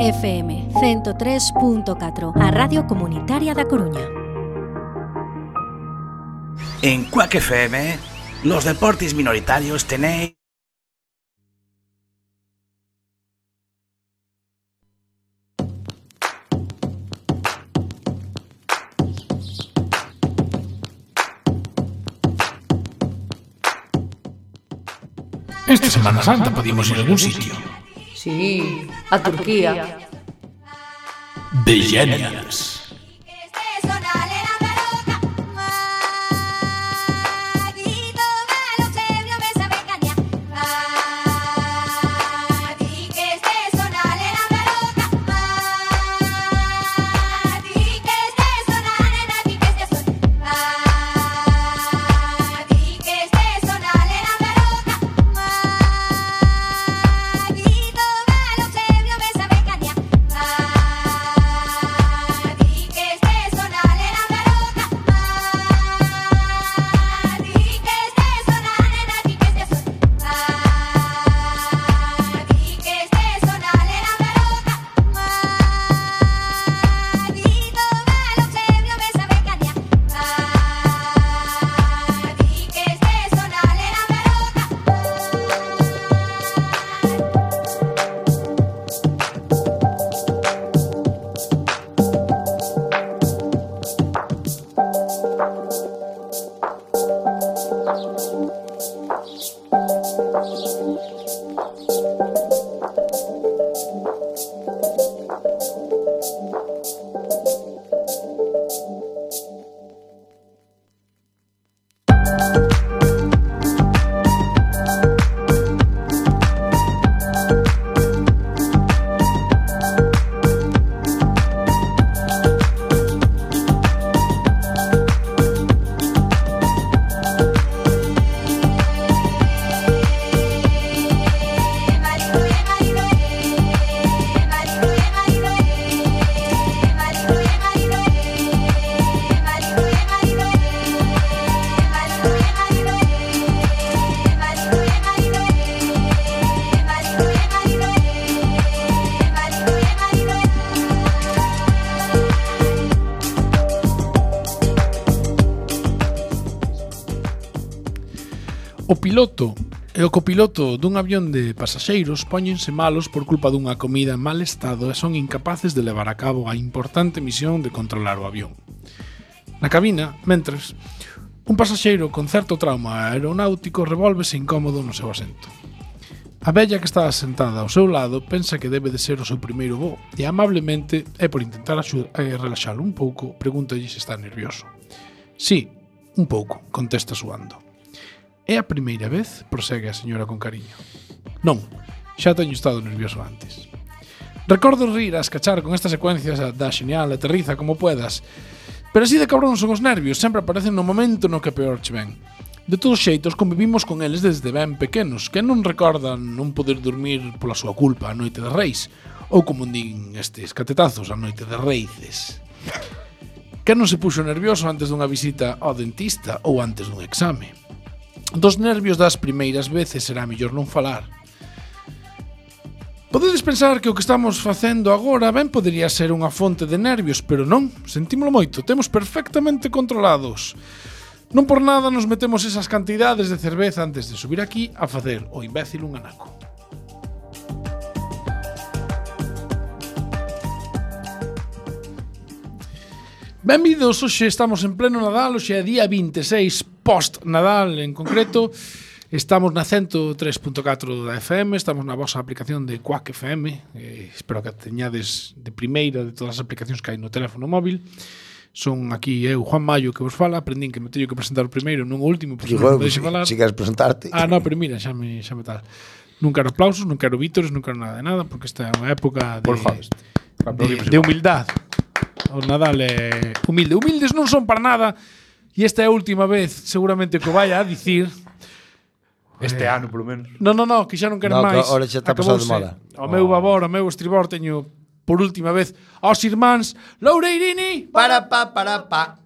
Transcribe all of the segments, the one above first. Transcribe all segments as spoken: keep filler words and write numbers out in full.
F M ciento tres punto catro, a Radio Comunitaria da Coruña. En Quack F M, los deportes minoritarios tenéis... Esta Semana Santa podíamos ir a algún sitio. Sí, a Turquía. The Genials. O piloto e o copiloto dun avión de pasaxeiros póñense malos por culpa dunha comida en mal estado e son incapaces de levar a cabo a importante misión de controlar o avión. Na cabina, mentres, un pasaxeiro con certo trauma aeronáutico revólvese incómodo no seu asento. A vella que está sentada ao seu lado pensa que debe de ser o seu primeiro voo e amablemente, e por intentar axudar a relaxalo un pouco, pregúntalle se está nervioso. Sí, un pouco, contesta suando. É a primeira vez? Prosegue a señora con cariño. Non, xa teño estado nervioso antes. Recordo rir a escachar con estas secuencias da xenial aterriza como puedas, pero así de cabrón son os nervios, sempre aparecen no momento no que peor che ven. De todos xeitos, convivimos con eles desde ben pequenos, que non recordan non poder dormir pola súa culpa a noite de Reis, ou como din estes catetazos, a noite de Reices. Que non se puxo nervioso antes dunha visita ao dentista ou antes dun exame? Dos nervios das primeiras veces será mellor non falar. Podedes pensar que o que estamos facendo agora ben podería ser unha fonte de nervios, pero non, sentímolo moito, temos perfectamente controlados. Non por nada nos metemos esas cantidades de cerveza antes de subir aquí a facer o imbécil un anaco. Benvidos, hoxe estamos en pleno Nadal, hoxe é día vinte e seis post-Nadal en concreto. Estamos na ciento tres punto catro da F M, estamos na vosa aplicación de Quack F M, eh, espero que teñades de primeira de todas as aplicacións que hai no teléfono móvil. Son aquí eu, Juan Mayo, que vos fala, aprendín que me teño que presentar o primeiro, non o último, pois non me deixe falar. Si queres presentarte. Ah, no, pero mira, xa me, xa me tal. Non quero aplausos, non quero vítores, non quero nada de nada, porque esta é unha época de, de, de humildade. O Nadal é humilde. Humildes non son para nada. E esta é a última vez, seguramente, que o vai a dicir. Este eh, ano, polo menos. Non, non, non, que xa non quero no, máis. Ahora xa está pasado de moda. O meu babor, o meu estribor, teño por última vez aos irmáns Loureirini. Para pa, para pa.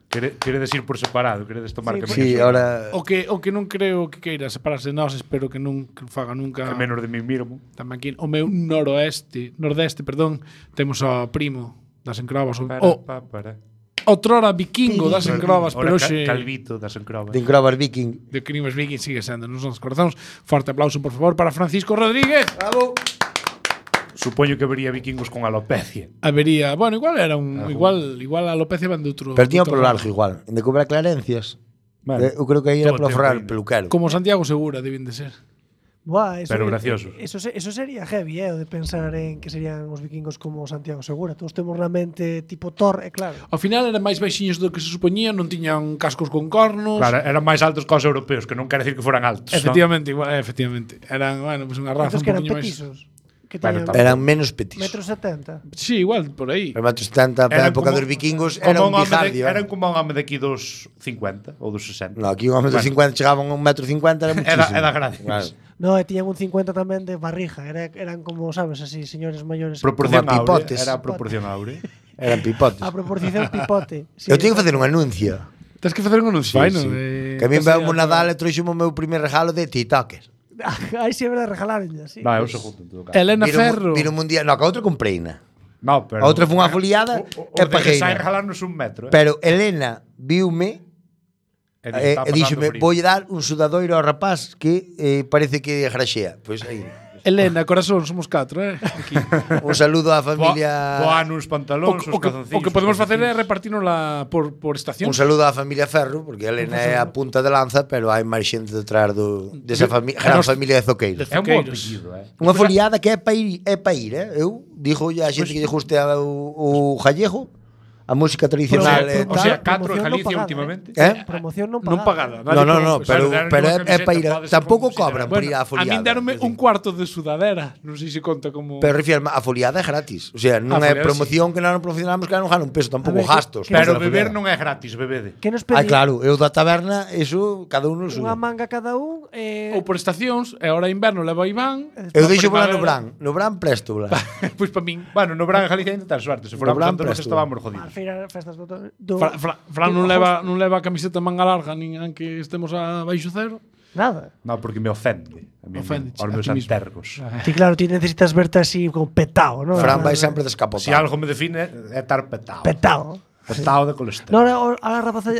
Quere, queredes ir por separado, queredes tomar Sí, camiños. Sí, ahora O que o que non creo que queira separarse de nós, espero que non que faga nunca. A menos de mí mismo. Tamén aquí o meu noroeste, nordeste, perdón, temos ao primo das encrobas, o, Para, o pa, para. outrora vikingo das encrobas, Ora, pero ca- hoxe Calvito das encrobas. de Encrobas Viking. de Crimes Viking sigue sendo nos nosos corazóns. Forte aplauso, por favor, para Francisco Rodríguez. Bravo. Supoño que vería vikingos con alopecia. Habería, bueno, igual era un Ah, igual igual a alopecia van de outro. Pero tiña de outro polo ramo. largo igual. En de cobrar clarencias. Vale. Eh, eu creo que aí era Todo polo tempo forrar ainda. peluquero. Como Santiago Segura deben de ser. Buah, eso, Pero graciosos. Eso, se- eso sería heavy, eh, o de pensar en que serían os vikingos como Santiago Segura. Todos temos na mente tipo Thor, é claro. Ao final eran máis baixiños do que se supoñía, non tiñan cascos con cornos. Claro, eran máis altos que os europeos, que non quere decir que foran altos. Efectivamente, igual, eh, efectivamente. Eran, bueno, pues unha raza Entonces un que eran poquinho máis. petizos. Que Bueno, teñan tamén. Eran menos petis. metro setenta. Sí, igual por aí. Pero metros setenta para a época dos vikingos era un home de, bijardio. eran como un home de aquí dos cincuenta ou dos sesenta. No, aquí un metro Bueno. cincuenta chegaban a un metro cincuenta era muchísimo. Era- era grande. Claro. No, e tiñan un cincuenta tamén de barrija. Era, eran como, sabes, así, señores maiores. Proporción Como a áurea. pipotes. Era proporción áurea. Eran pipotes. A proporción pipote. Sí, Eu teño que facer un anuncio. Tens que facer un anuncio, Sí, vai, non? sí. Eh, Que a mí case veo un a- Nadal e trouxemo o meu primer regalo de TikTokers. Aí sí é verdade, regalaron ya, sí. No, é o segundo en todo caso. Elena Viro, Ferro. viro un día, no, que a outra compreina. No, pero A outra foi unha foliada o, o, e o de pajeina. Sai regalarnos un metro, eh? Pero Elena viume E e, está e pasando díxome, frío. voulle dar un sudadoiro ao rapaz que eh, parece que graxea. Pois aí. Elena, corazón, somos catro, eh? Aquí. Un saludo á Boa, familia boa nos O, pantalóns, o, os que, calzoncillos. o que podemos os facer é calzoncillos. repartirnosla por, por estación. Un saludo á familia Ferro, porque Elena é a punta de lanza, pero hai máis xente detrás do desa fami gran nos- familia de zoqueiros. É un bo Zoqueiros. apellido, eh? Unha foliada que é pa ir, é pa ir, eh? Eu dixo a xente que lle guste a- o, o gallego, a música tradicional e O tal. sea, catro Promoción en non Galicia pagada, últimamente. Eh? Promoción non Non pagada. pagada. No, nadie no, pagou, no, pois, pero, deron pero é, unha é camiseta, pa ir. pode ser Tampouco como cobran por Bueno, ir á a foliada. min deronme quer un decir. cuarto de sudadera. Non sei se conta como... Pero refirme, a foliada é gratis. O sea, non A é foliada, promoción que non promocionamos que non gana un peso, tampouco A ver, que- gastos. que- Pero para a beber foliada. non é gratis, bebede. Que nos Ah, pedí claro, eu da taberna, eso, cada un o suyo. unha manga cada un eh, Ou por estacións, e ahora inverno leva Iván. Eu Na deixo volar no primavera- Bran, no Bran presto, Blan. Pois pa min. Bueno, no Bran en Galicia ainda tan suerte. Se fora No Bran por tanto, presto. estábamos a jodidos. feira festas do, do Fra, Fra, Fran non leva, non leva camiseta manga larga nin aunque estemos a baixo cero. nada. No, porque me ofende. A mí, Ofende, aos a meus ti mismo. antergos. Ti claro, ti necesitas verte así como petao, ¿no? Fran vai sempre descapotado. Se algo me define é estar petado. petao. Petado de colesterol. No, ahora, ahora rapaces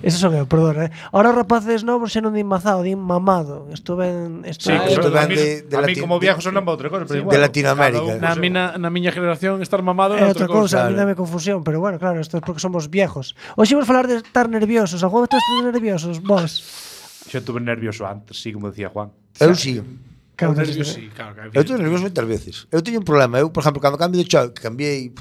Eso son eu, perdón, eh. Ahora os rapaces novos xa non din mazado, din mamado. Isto ben, isto Sí, Ah, que isto son, ven a mí, de- de a mí Lati- como de- viejo sonan para outra cosa. pero de bueno, Latinoamérica. cada Na, un, mina, na miña generación estar mamado é era outra outra cousa. cousa, a mí dame confusión, pero bueno, claro, isto é porque somos viejos. Hoxe vamos falar de estar nerviosos. Algún momento estar nerviosos, vos? Xa tuve nervioso antes, sí, como decía Juan. Eu sí. Claro, Eu tes- nervioso, sí, claro, claro. Eu estou nervioso moitas veces. Eu teño un problema. Eu, por exemplo, cando cambio de chao, que cambiei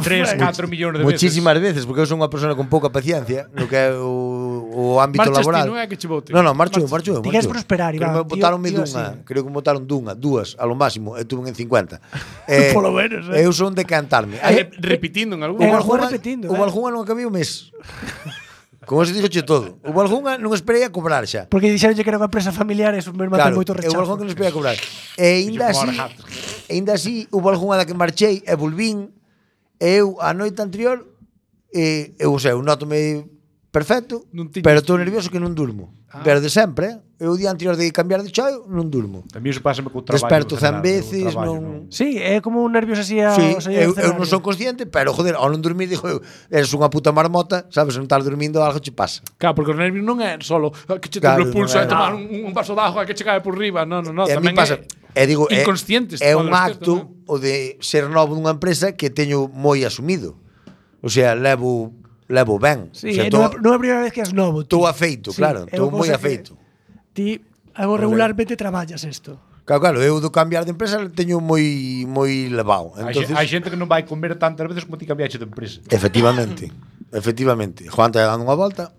tres, catro millóns de veces. muchísimas veces, porque eu son unha persona con pouca paciencia no que é o, o ámbito Marchas ti, laboral. non é que che bote. No, no, marcho, eu, marcho. eu, Ti marcho queres eu. prosperar, Creo Iván, que me botaronme tío- tío dunha, así. creo que me botaron dunha, dúas, a lo máximo, eu tuve en cincuenta. Eh, Polo menos, eh. Eu son de cantarme. Eh, Hai- repitindo en algún. Eh, Hubo algún algunha, repetindo, hubo eh. algunha non acabei o mes. Con eso dixoche todo. Hubo algunha non esperei a cobrar xa. Porque dixeron que era unha empresa familiar e eso me mata Claro, moito eu rechazo. algunha que non esperei a cobrar. E ainda así, Borja. ainda así, hubo algunha da que marchei e volvín. E eu, a noite anterior, eh, eu, o sea, eu notome perfecto, Non tiñas- pero estou nervioso que non durmo. Ah. Pero de sempre, eh? Eu o día anterior de cambiar de chao, non durmo. A mí eso pásame co traballo. Desperto en cen general, veces, o traballo, non- Sí, é como un nervios así a Sí, ao saír eu, do eu non escenario. son consciente, pero joder, ao non dormir digo eu, eres unha puta marmota, sabes, non estás dormindo, algo che pasa. Claro, porque o nervio non é solo ah, que che Claro, temble o pulso non é. e tomar un, un vaso de agua que che cae por riba. Non, non, non, E a mí tamén pasa, é e digo, é, inconscientes. é pode un ser acto tamén. o de ser novo nunha empresa que teño moi asumido. O sea, levo levo ben. Sí, o sea, é tô- non, é- non é a primeira vez que és novo. Estou afeito, claro, é estou unha moi cousa que afeito. Ti algo regularmente traballas isto. Claro, claro, eu do cambiar de empresa teño moi moi levado. Hai, xe- Entonces, hai xente que non vai comer tantas veces como ti cambiaxe de empresa. efectivamente, efectivamente. Juan está dando unha volta,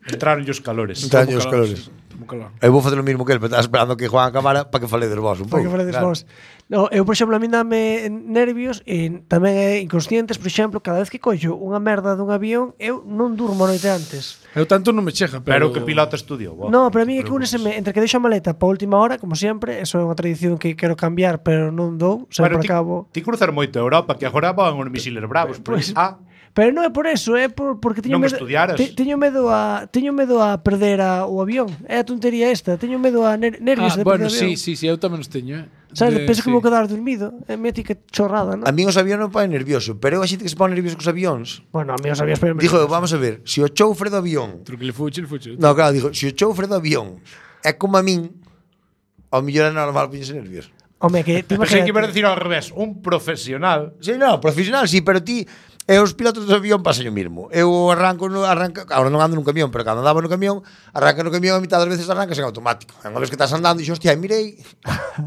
Entraron os calores. Entra- Como os calores. como calor. eu vou facer o mesmo que ele, pero estaba esperando que Juan acabara para que faledes vos un pouco. Porque faledes claro. vos. No, eu, por exemplo, a mí dame nervios e tamén é inconscientes, por exemplo, cada vez que collo unha merda dun avión, eu non durmo a noite antes. Eu tanto non me chega, pero... Pero que pilota estudiou. bo. No, pero a mí é que úneseme entre que deixo a maleta para a última hora, como sempre, eso é unha tradición que quero cambiar, pero non dou, sempre Bueno, ti, acabo. ti cruzar moito a Europa, que agora van os misiles bravos. Pois- Pues, ah, Pero non é por eso, é por, porque teño Non medo, estudiaras. te, teño medo a teño medo a perder a, o avión. É a tontería esta, teño medo a ner, nervios Ah, de bueno, perder o sí, avión. sí, sí, eu tamén os teño, eh. Sabes, De- penso que sí. vou quedar dormido. É mítica chorrada, non? A mí os avións non me pone nervioso, pero eu a xente que se pone nervioso cos avións. Bueno, a mí os avións pero Dijo eu, vamos a ver, se o choufre do avión. Truque le fuche, le fuche. No, claro, dijo, se o choufre do avión é como a min, ao mellor é normal poñerse nervioso. Home, que te Pensei que ibas a imaginas. decir ao revés, un profesional. Sí, no, profesional, sí, pero ti e os pilotos do avión pasan o mismo. Eu arranco no arranca, agora non ando nun camión, pero cando andaba no camión, arranca no camión a mitad das veces arrancas en automático. E unha vez que estás andando, dixo, hostia, mirei,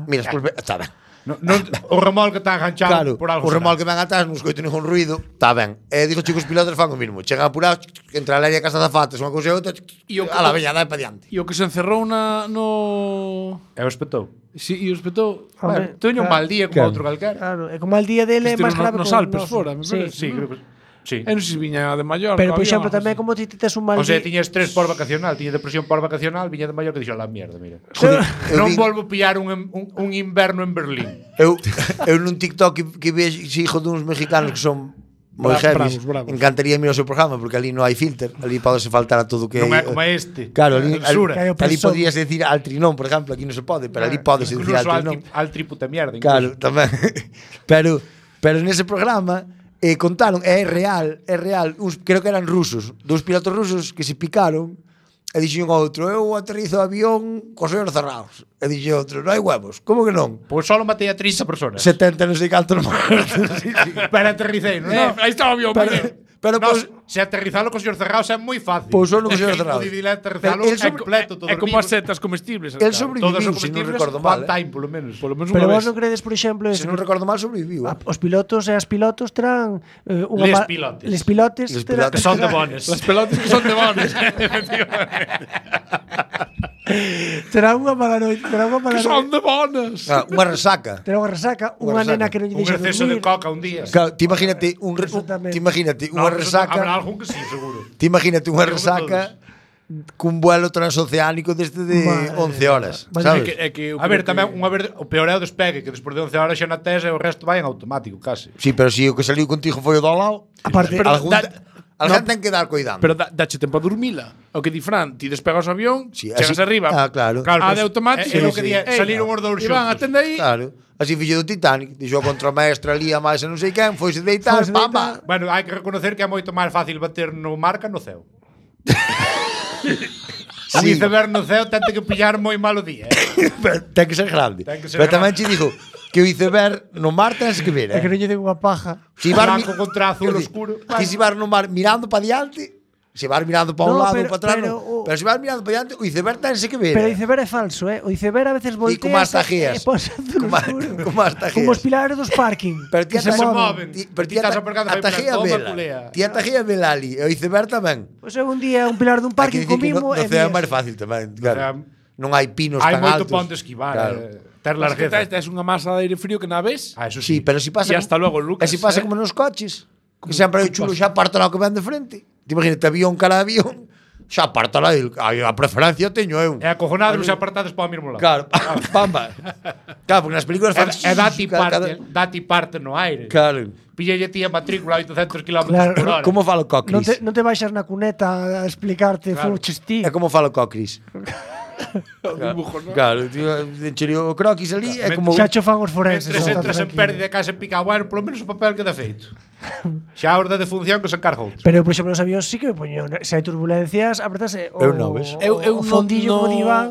miras, pues, está ben. No, non, o remolque está Claro, enganchado por algo. o remolque ven atrás, non escoito ningún ruido, está ben. E digo, chicos, os pilotos fan o mismo. Chegan apurados, entre a leria e casa zafates, unha cousa e outra, E o que- a la veña, dai pa diante. E o que se encerrou na, no... E o espetou. Sí, e o espetou... Hombre, Bueno, teño un claro, mal día como claro. outro calquera. Claro, é como el día dele é Este máis no- grave nos que o Alpes noso. fora, me Sí. parece. Sí, creo que sí. Eu non sei se viña de Mallorca. Pero, por avión, exemplo, algo tamén así. como ti tes un mal O sea, día. tiña estrés por vacacional, tiña depresión por vacacional, viña de Mallorca e dixo, la mierda, mira. Joder, eu Non vi- volvo a pillar un, un, un inverno en Berlín. Eu, eu nun TikTok que, que vexo hijo duns mexicanos que son moi Bra- heavies, bravos, bravos. encantaría mirar o seu programa porque ali non hai filter, ali podese faltar a todo o que Non é como este. Claro, ali, ali, Censura. Que hai o ali presón. podrías decir altrinón, por exemplo, aquí non se pode, pero ali podes decir Incluso al, altrinón. tri, al triputa mierda. Claro, tamén. pero pero nese programa eh, contaron, é real, é real, uns, creo que eran rusos, dous pilotos rusos que se picaron e dixen ao outro, eu aterrizo o avión cos ollos cerrados. E dixen outro, non hai huevos, como que non? Pois solo matei a trinta personas. setenta non sei cantos mortos. Sí, sí. Pero aterricei, non? Eh, aí está o avión, Pero, pero... pero No, pues, se aterrizalo cos ollos cerrados é moi fácil. Pois solo cos É que ollos cerrados. imposible aterrizalo Pero el é sobre- completo, todo É como vivo. as setas comestibles. el claro. Todos sobreviviu, os se non comestibles, recordo mal. one Eh. time, polo menos. Polo menos Pero unha vos vez. non credes, por exemplo, Se eso, non recordo mal, sobreviviu. a- Eh. os pilotos e as pilotos terán eh, unha Les ma- pilotes. Les pilotes. Les terán- pilotes. Que son de terán- bones. Las pelotas que son de bones. Terán unha mala noite, terán unha mala que son noite. de bones. Ah, unha resaca. Terán unha resaca, Unha unha resaca. nena que non lle Un deixa exceso de dormir. coca un día. Claro, ti imagínate un, re, un Exactamente. ti imagínate No, unha pero resaca. Habrá algún que sí, seguro. Ti imagínate unha Pero resaca cun vuelo transoceánico desde de Madre once horas, mía. É sabes? que, é que eu A ver, creo tamén que- unha vez o peor é o despegue, que despois de once horas xa na tese o resto vai en automático, casi. Sí, pero si o que saliu contigo foi o do lado, Aparte, pero algún, da- alguén no, ten que dar cuidado. Pero da, dache tempo a dormila. O que di Fran, ti despegas o avión, Sí, chegas así- arriba. Ah, claro. A pero de automático. é- é o sí. que día, Ei, saliron os dous Iván, xuntos. atende aí. Claro. Así fixo do Titanic, dixo a contramaestra ali a máis e non sei quen, foise deitar, Foise pamba. Bueno, hai que reconocer que é moito máis fácil bater no mar que no ceo. Un Sí. iceberg no ceo tente que pillar moi malo día, eh? Pero ten que ser grande. Ten que ser Pero tamén grande. che digo que o iceberg no mar tens que ver, É que eh? non lle den unha paja. Si vas Blanco contra azul Quer oscuro. Ti si vas no mar mirando para diante, se vas mirando para un No, lado ou pero- para atrás, pero no. o- Pero se vas mirando para diante, o iceberg tense que ver. Pero o eh. iceberg é falso, eh? O iceberg a veces voltea como as tajeas. e pos azul Como a- oscuro. como as tajeas. Como os pilares dos parking. Pero ti que se ata- moven. Ti, pero ti Ti estás ata- aparcando a aí para tajea toma, vela. culea. Ti a tajea vela ali, e o iceberg tamén. Pois eu un día un pilar dun Hai que parking dicir que comimo no, no e ceo é mías. máis fácil tamén, claro. sea, Non hai pinos Hai tan moito altos. ponte esquivar, Claro. eh, ter Mas que largueza. tes, tes unha masa de aire frío que na ves. Ah, eso Sí, sí. pero si pasa E hasta luego, Lucas, E si pasa eh. como nos coches, que sempre hai o chulo xa parto lá que ven de frente. Ti imagínate avión cara a avión, xa parto lá, a preferencia teño eu. É acojonado se apartades para o mesmo lado. Claro, pamba. Claro, porque nas películas fan É, é dati cada- parte, dati parte no aire. Claro. Píllalle ti a matrícula a oitocentos kilómetros Claro. por hora. Como fala o Non Cocris? te, non te baixas na cuneta a explicarte Claro. fuches ti. É como fala o Cocris. O dibujo, ¿no? Claro, tío, encherio o croquis ali é como Xa cho fan os forenses. Mentres está entras en tranquilo. pérdida de casa e pica, bueno, polo menos o papel queda feito. Xa a orde de función que se encarga outro. Pero, por exemplo, nos avións sí que me poño. Se hai turbulencias, apretase o, Eu non, ves? Eu, eu o fondillo no, como diván.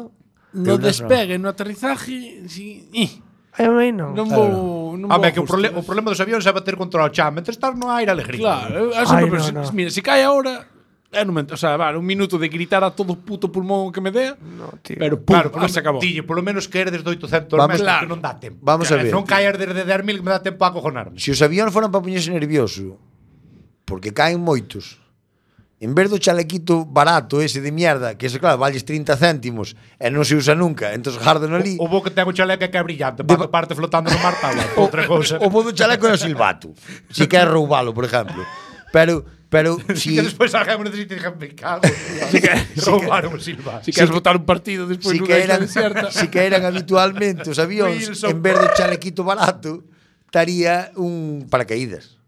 no Eu non. despegue, no aterrizaje, si, ih, Eu aí non. non vou, non vou Home, que o, justo. prole o problema dos avións é bater contra o chan. Mentre estás no aire, alegría. Claro, eu, eu sempre Ai, penso, no, no. mira, se cae ahora, é un momento, o sea, vale, un minuto de gritar a todo puto pulmón que me dea, No, tío. pero pum, Claro, claro, se acabou. Dille, polo menos que eres de oitocentos Vamos- metros, claro. que non dá tempo. Vamos a Que ver. Non caer desde dez mil que me dá tempo a acojonarme. Se os avións foran para poñerse nervioso, porque caen moitos, en vez do chalequito barato ese de mierda, que ese claro, valles trinta céntimos e non se usa nunca, entón gardan ali. O bo que ten o chaleco é que é brillante, para que parte flotando no mar, tabla, outra cousa. O bo do chaleco é o silbato. Si quer roubalo, por exemplo. Pero pero si Si que despois alguén me necesita dixen, me cago. Si que roubaron o silba. Si queres votar un partido despois si nunha que isla eran desierta. si que eran habitualmente os avións Wilson. en vez do chalequito barato estaría un paracaídas.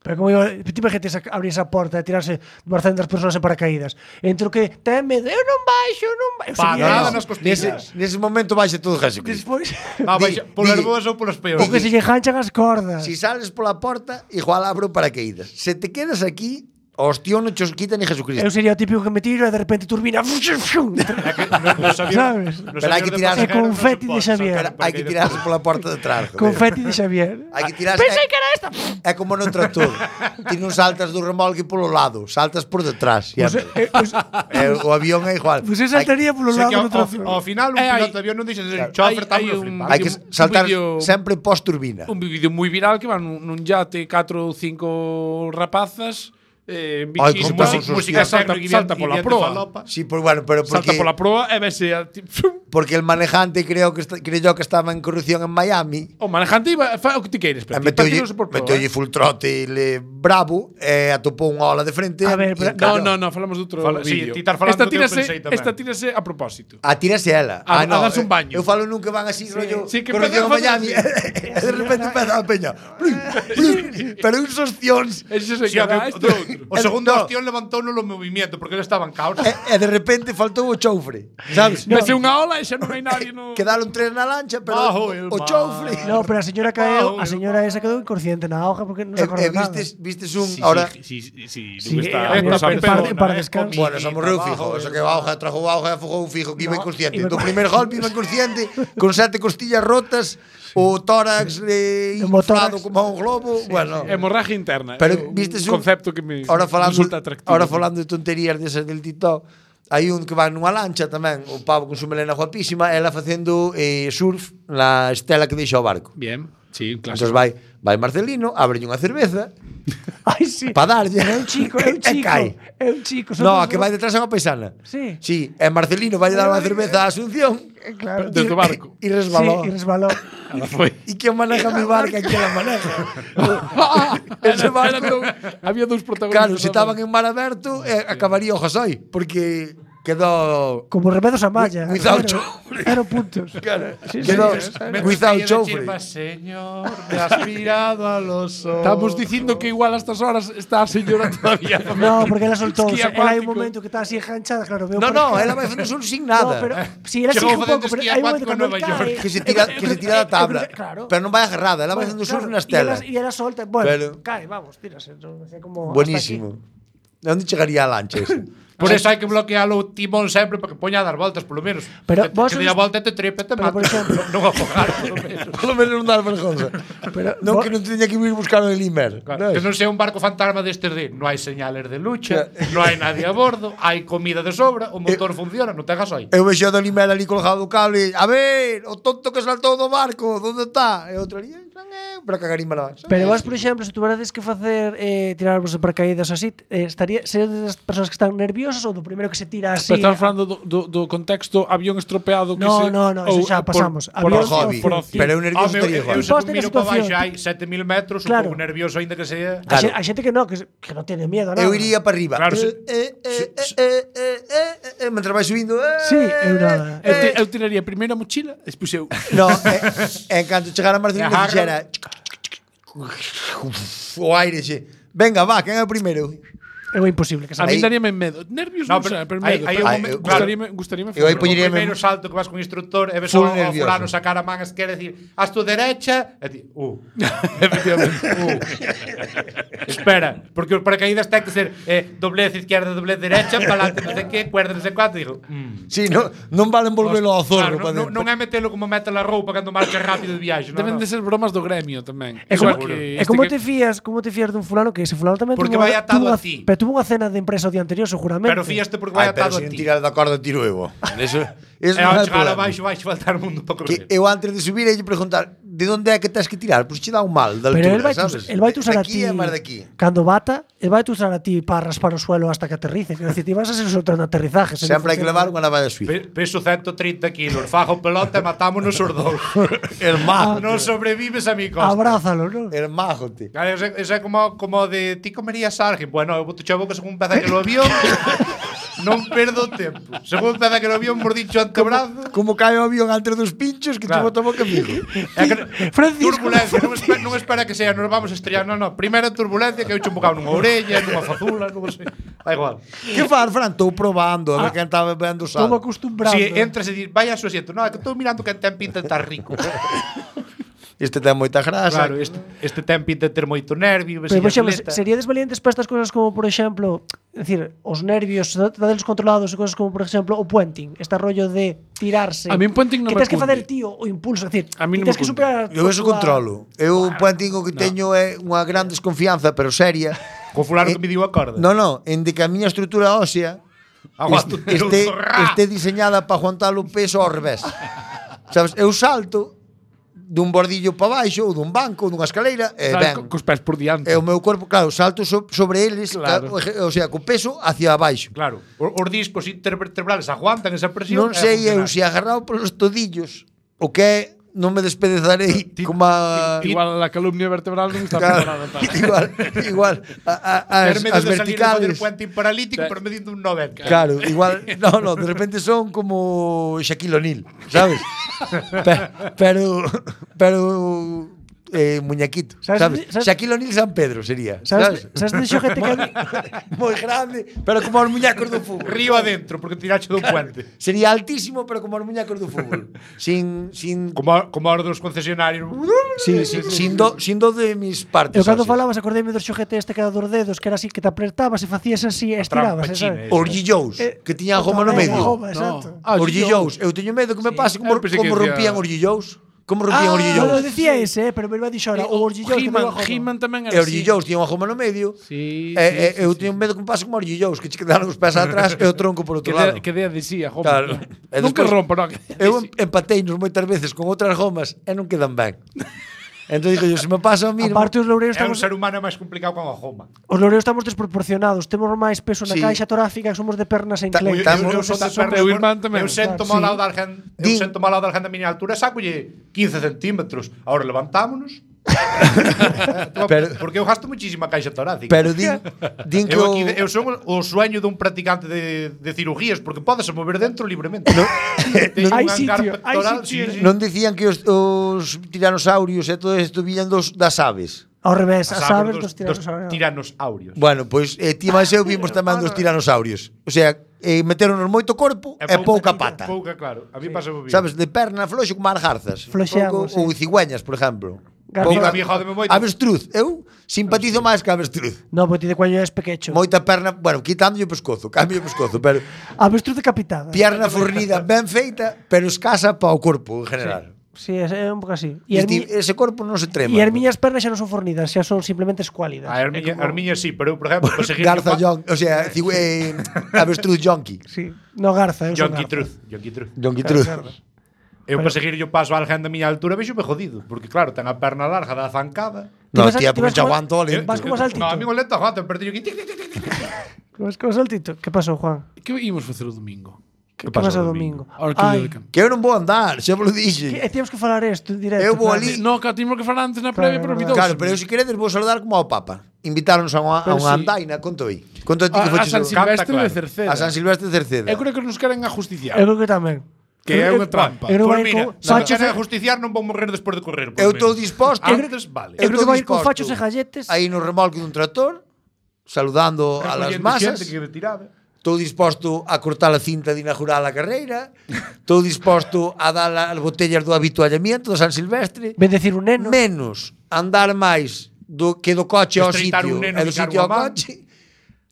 Pero como iba, te imagínate abrir esa porta e tirarse doscientas persoas en paracaídas. Entre o que ten medo, eu non baixo, non baixo. Parada nas Nese, costillas. nese momento baixe todo Jesucristo. Despois, Ah, baixa, polas Di- boas ou polas o peores. que se lle ganchan as cordas. Si sales pola porta, igual abro paracaídas. Se te quedas aquí, hostia, non chos quita ni Jesucristo. Eu sería o típico que me tiro e de repente turbina. Nos aviones- Sabes? nos Pero hai que aviones de tirar- pasajeros É confeti non de se pode Xavier. saltar Pero hai que paracaídas. tirarse pola porta de atrás. joder. Confeti de Xavier. Hai que tirarse. Pensei é, que era esta. é como no tractor. Ti non saltas do remolque polo lado, saltas por detrás. Pues, Siempre. eh, pues, Eh, o avión é igual. pues eu Hai- saltaría polo O sea que lado ao, do ao, tractor. ao final un Eh, hai- piloto de avión non deixa de ser un Claro, chofer, hai- hai tan un- flipado. Hai que un saltar vídeo- sempre post-turbina. Un vídeo moi viral que van nun, nun yate catro ou cinco rapazas eh, en Ai, biquíni, con música, todos os música tíos. salta, Tecno, salta y pola bien de proa. falopa. Sí, pues bueno, pero porque Salta pola proa e vese a ti- porque el manejante creo que está, creyó que estaba en corrupción en Miami. o manejante iba fa o que ti queires, E pero ti meteulle, patinose por proa. meteulle full trote le bravo e atopou unha ola de frente. A ver, e pero- No, encallou. no, no, falamos de outro Fala- sí, vídeo. ti estás falando esta do que eu tírase, pensei tamén. esta tírase a propósito. A tírase ela. A- Ah, a darse un baño. Eu falo nun que van así, rollo, sí, que corrupción en empezan a Miami. facer E de repente empeza a peña. Plum, plum, pero uns ostións. Ese se Sí, o, queda que- este outro. o segundo No. ostión levantou no movimiento porque ele estaba en caos. E, e de repente faltou o choufre, sabes? Vese unha ola e xa non hai nadie no. Quedaron tres na lancha, pero Bajo el o mar. choufre. No, pero a señora caeu, Wow, a señora esa quedou inconsciente na hoja porque non se E, acorda e nada. vistes, vistes un Sí, ahora sí, sí, sí, sí, Sí, non está, a non mí está me pero- parece- para descanso. Bueno, se morreu fijo, eso que a auga trajo auga e afogou fijo que iba No, inconsciente. iba- Do primer golpe iba inconsciente, con sete costillas rotas, o tórax eh, inflado Hemotórax. como un globo, bueno. Hemorragia interna. Pero é un vistes un concepto que me ahora falando, resulta atractivo. ahora falando de tonterías desas del TikTok, hai un que va nunha lancha tamén, o pavo con su melena guapísima, ela facendo eh, surf na estela que deixa o barco. Bien, sí, un Entón clásico. vai, vai Marcelino, ábrelle unha cerveza Ai, sí. pa darlle. É un chico, é un e chico. cae. É un chico. son No, dos- a que vai detrás é unha paisana. Sí. Sí, e Marcelino vai dar unha cerveza a Asunción Claro. Desde o barco. e resbalou. Sí, y resbaló. Ela foi. E que maneja mi barca que la maneja. Ese Era- barco. eran dous- había dous protagonistas. Claro, se estaban en mar aberto, eh, acabaría o Josoi, porque quedou Como Remedos Amaya. Cuidado, Cero- choufre. Cero puntos. Claro, Sí, sí, quedou sí, sí. without choufre. Señor, me has mirado a los ojos. Estamos dicindo que igual a estas horas está a señora todavía. No, porque ela soltou. Esquí Ela hai un acuático. momento que está así enganchada, claro, veo No, por no, acá. ela vai facendo solo sin No, nada. pero si ela Chegou sigue un facendo pouco, pero esquí hai un momento acuático en cando Nova cae. York. Que se tira, que se tira da tabla. Claro. Pero non vai agarrada, ela vai facendo surf na estela. E ela solta, bueno, Pero- cae, vamos, tírase. No, é como Buenísimo. De onde chegaría a lancha ese? Por eso hai que bloquealo o timón sempre para que poña a dar voltas, polo menos. Pero que, vos que dé a sois- volta e te trepe e te Pero, mata. por exemplo- non afogar, polo menos. Polo menos non dar vergonza. Pero Non vos- que non teña que vir buscar o Limer. Claro, que non sea un barco fantasma destes de non hai señales de lucha, Claro. non hai nadie a bordo, hai comida de sobra, o motor funciona, non te hagas aí. Eu vexo do Limer ali colgado o cable. A ver, o tonto que saltou do barco, onde está? E outro ali, "Non é", para cagarima na base. Pero vos, por exemplo, se tuverades que facer eh, tirarvos de paracaídas así, eh, estaría seredes das persoas que están nerviosas ou do primeiro que se tira así? Pero estamos falando do, do, do contexto avión estropeado que No, se, no, no, eso xa por- pasamos. Por, Avión Por hobby. por ocio. Pero eu nervioso Home, eu, estaría eu, igual. eu se Poste na miro para situación. baixo hai sete mil metros, Claro. un pouco nervioso aínda que sea. A, xe- Claro. a xente que no, que, se- que non tiene miedo, nada. Eu iría para arriba. Claro, eh, sí. eh, eh, eh, eh, eh, eh, eh, mentre vai subindo. Eh, Sí, eu nada. Eu, te, eh. eu tiraría primeiro a mochila, despois eu. No, e, en canto chegara a Marcelino E agarra- fixera o aire xe. Venga, va, quen é o primeiro? É moi imposible que A salga. mí Aí- daríame medo. Nervios No, non pero sei, pero hai- medo. hai pero un Ai, momento- eu- gustaríame, gustaríame Eu aí facerlo. poñería- O primeiro salto que vas con o instructor e ves Full ao, ao nervioso. fulano sacar a man esquerda e decir haz tu derecha e ti, uh, Efectivamente. uh. Espera, porque os paracaídas ten que ser eh, doblez izquierda, doblez derecha, para adelante, non sei que, cuerda, non sei cuánto, digo, mm. Sí, no, non valen volvelo ao zorro. Claro, pa non, dentro. non é metelo como mete la roupa cando marcha rápido de viaxe, non, Deben non. de ser bromas do gremio tamén. É como, Igual que é este como que- te fías, como te fías dun fulano que ese fulano tamén Porque tuvo vai unha- atado tuvo a unha- ti. Pero tuvo unha cena de empresa o día anterior seguramente. Pero fíaste porque vai Ai, pero atado se a non ti. tirar da corda tiro eu. Eso, eso E non ao é chegar problema. abaixo vai faltar o mundo para Que correr. eu antes de subir e preguntar de onde é que tens que tirar, pois che dá un mal de Pero altura, el vai, sabes? el vai usar a Aquí ti é máis de aquí. cando bata, el vai usar a ti para raspar o suelo hasta que aterrice. Quer decir, ti vas a ser soltando aterrizajes. se non Sempre hai que levar funciona. unha navalla suiza. Pe- Peso ciento trinta kilos, fajo pelota e matámonos os dous. El majo. Non sobrevives a mi costa. Abrázalo, non? El majo, ti. Claro, eso, eso é como, como de ti comerías alguén. Bueno, eu boto chavo que según empeza que lo avión. non perdo tempo. Según empeza que o avión mordicho antebrazo. Como cae o avión entre dos pinchos que Claro. te bota boca amigo. É que, Francisco. turbulencia, non espera, non espera que sea, nos vamos a estrellar, non, non. Primeiro turbulencia que eu che un bocado nunha orella, nunha fazula, non sei. Da igual. Que far, Fran? Estou probando, a ver quen estaba vendo Estou sal. acostumbrado. Si entras e dis, vai a su asiento, non, é que estou mirando que ten pinta de estar rico. Este ten moita grasa. Claro, este, este ten pinta de ter moito nervio, Pero, por exemplo, atleta. seríades valientes para estas cousas como, por exemplo, é dicir, os nervios, dadelos controlados e cousas como, por exemplo, o puenting, este rollo de tirarse. A mí un puenting non que me tens que cunde. facer tío o impulso, é dicir, A mí non tens me que cunde. superar. Eu eso controlo. Eu o puenting o que teño é unha gran desconfianza, pero seria. Co fulano Eh, que me diu a corda. No, no, en de que a miña estrutura ósea Aguanto este, este, un zorra. este diseñada para aguantar o peso ao revés. Sabes, eu salto dun bordillo para baixo ou dun banco ou dunha escaleira e Sabes, ben. co- cos pés por diante. E o meu corpo, claro, salto so, sobre eles, Claro. ca- o sea, co peso hacia abaixo. Claro, os, os discos intervertebrales aguantan esa presión. Non e a sei eu funcionar. se agarrado polos todillos o que é, non me despedezarei como a... Igual a calumnia vertebral non está Claro, preparada para. igual, igual a, a, as, Ter medo as de salir a fazer verticales. puente paralítico, pero medindo un noventa. Claro, igual, no, no, de repente son como Shaquille O'Neal, ¿sabes? Pe- pero, pero, eh, muñequito, ¿Sabes- ¿sabes? sabes- Shaquille O'Neal San Pedro sería, Sabes, ¿sabes? sabes de xogete que a mí- Moi grande, pero como os muñecos do fútbol. Río adentro, porque tirache dun puente. Sería altísimo, pero como os muñecos do fútbol. Sin, sin, Como, a- como a hora dos concesionarios. sin, sin, sin, do, sin do de mis partes. Eu cando óseas. falabas acordeime do xogete este que era dos dedos, que era así que te apretabas e facías así e estirabas, trampa eh, china, sabes? eh. Os Gillous, Eh, que tiñan goma no eh, medio. goma, exacto. Ah, Os Gillous. Eu teño medo que me pase como, Eu pensei que como decía- rompían os Gillous. Como rompían os Ah, Gillous. no, decía ese, eh, pero me iba a dixo ahora, o orgulloso que me He-Man, iba a joder. He-Man tamén E era os así. Gillous tiñan unha goma no medio. Sí, E, sí, e, eu sí, teño medo que me pase como os Gillous, que che quedaron os pés atrás e o tronco por Que outro lado. de, que de adhesía, goma. Claro. E Nunca despois- rompo, non. Eu em- empateinos moitas veces con outras gomas e non quedan ben. Entón digo, yo, se me pasa a mí... Aparte os loureiros É un estamos, ser humano máis complicado que unha goma. os loureiros estamos desproporcionados, temos máis peso na Sí. caixa torácica, somos de pernas en Ta- clé. ta- Eu, eu, Estamos- son da son perna, teu irmán tamén. eu sento Claro, mal sí. ao dar gen, eu Din- sento mal ao dar gen da miña altura, sacolle quince centímetros. Ahora levantámonos. Pero- porque eu gasto muchísima caixa torácica. Pero din, din que eu, o... aquí, eu son o sueño dun practicante de, de cirugías, porque podes mover dentro libremente. Teño Hai un hangar sitio, hai pectoral, sitio. sí, sí. Non dicían que os, os tiranosaurios e todo isto viñan dos, das aves. Ao revés, As as aves dos, dos tiranos. dos tiranosaurios. Bueno, pois eh, ti máis eu vimos tamén dos tiranosaurios. O sea, eh, meteronos moito corpo e, pouca pata. Pouca, claro. A mí pasa moi bien. Sabes, de perna floxo como as garzas. Floxeamos, Pouco- Ou sí. cigüeñas, por exemplo. Garza- Pouca- A mí jódeme moito. Avestruz. Eu simpatizo máis que a avestruz. No, porque ti de cuello es pequecho. Moita perna, bueno, quitando o pescozo, cambio o pescozo, pero Avestruz decapitada. pierna fornida ben feita, pero escasa para o corpo en general. Sí, é, é un pouco así. E E as, mi, ese corpo non se trema. e as miñas pernas xa non son fornidas, xa son simplemente escuálidas. A Armiña, Armiña sí, pero eu, por exemplo, conseguir Garza Jon, o sea, cigu- eh, avestruz jonky. Sí. No, Garza, eu son Yonky Garza. Truth, Yonky Truth. Jonky truth. Eu para seguir yo paso a alguén da miña altura vexo me jodido, porque claro, ten a perna larga da zancada. No, Ti vas a- tía, ti porque vas xa como- aguanto o lento. Vas como saltito. No, a mí o lento aguanta, pero teño que tic, tic, tic, tic, tic. Vas como saltito. Que pasou, Juan? Que ímos facer o domingo? Que, que pasa pasa o o domingo? Ahora que Ai, día de campo. Que eu non vou andar, xa vos lo que, dixe. e temos que falar isto en directo. Eu vou claro. ali- No, que temos que falar antes na previa, pero Claro, olvidou. Claro, pero eu se queredes vou saludar como ao Papa. Invitáronos a unha, a Pero unha sí. andaina, conto aí. Conto a ti que A, a foches San o- Silvestre claro. de Cerceda. a San Silvestre de Cerceda. Eu creo que nos queren ajusticiar. Eu creo que tamén. Que é Eu- unha trampa. Eu creo Pois que vai mira, con se me fachos queren e- justiciar non vou morrer despois de correr. por Eu lo estou menos. disposto. Antes, vale. Eu creo que estou vai con disposto fachos e galletes. Aí no remolque dun tractor, saludando a las Recollendo masas. xente que me tiraba. Estou disposto a cortar a cinta de inaugurar a carreira. Estou disposto a dar as botellas do habituallamiento do San Silvestre. Ven decir un neno. Menos andar máis do que do coche ao Estreitar sitio un neno e do ficar sitio ao unha man. coche.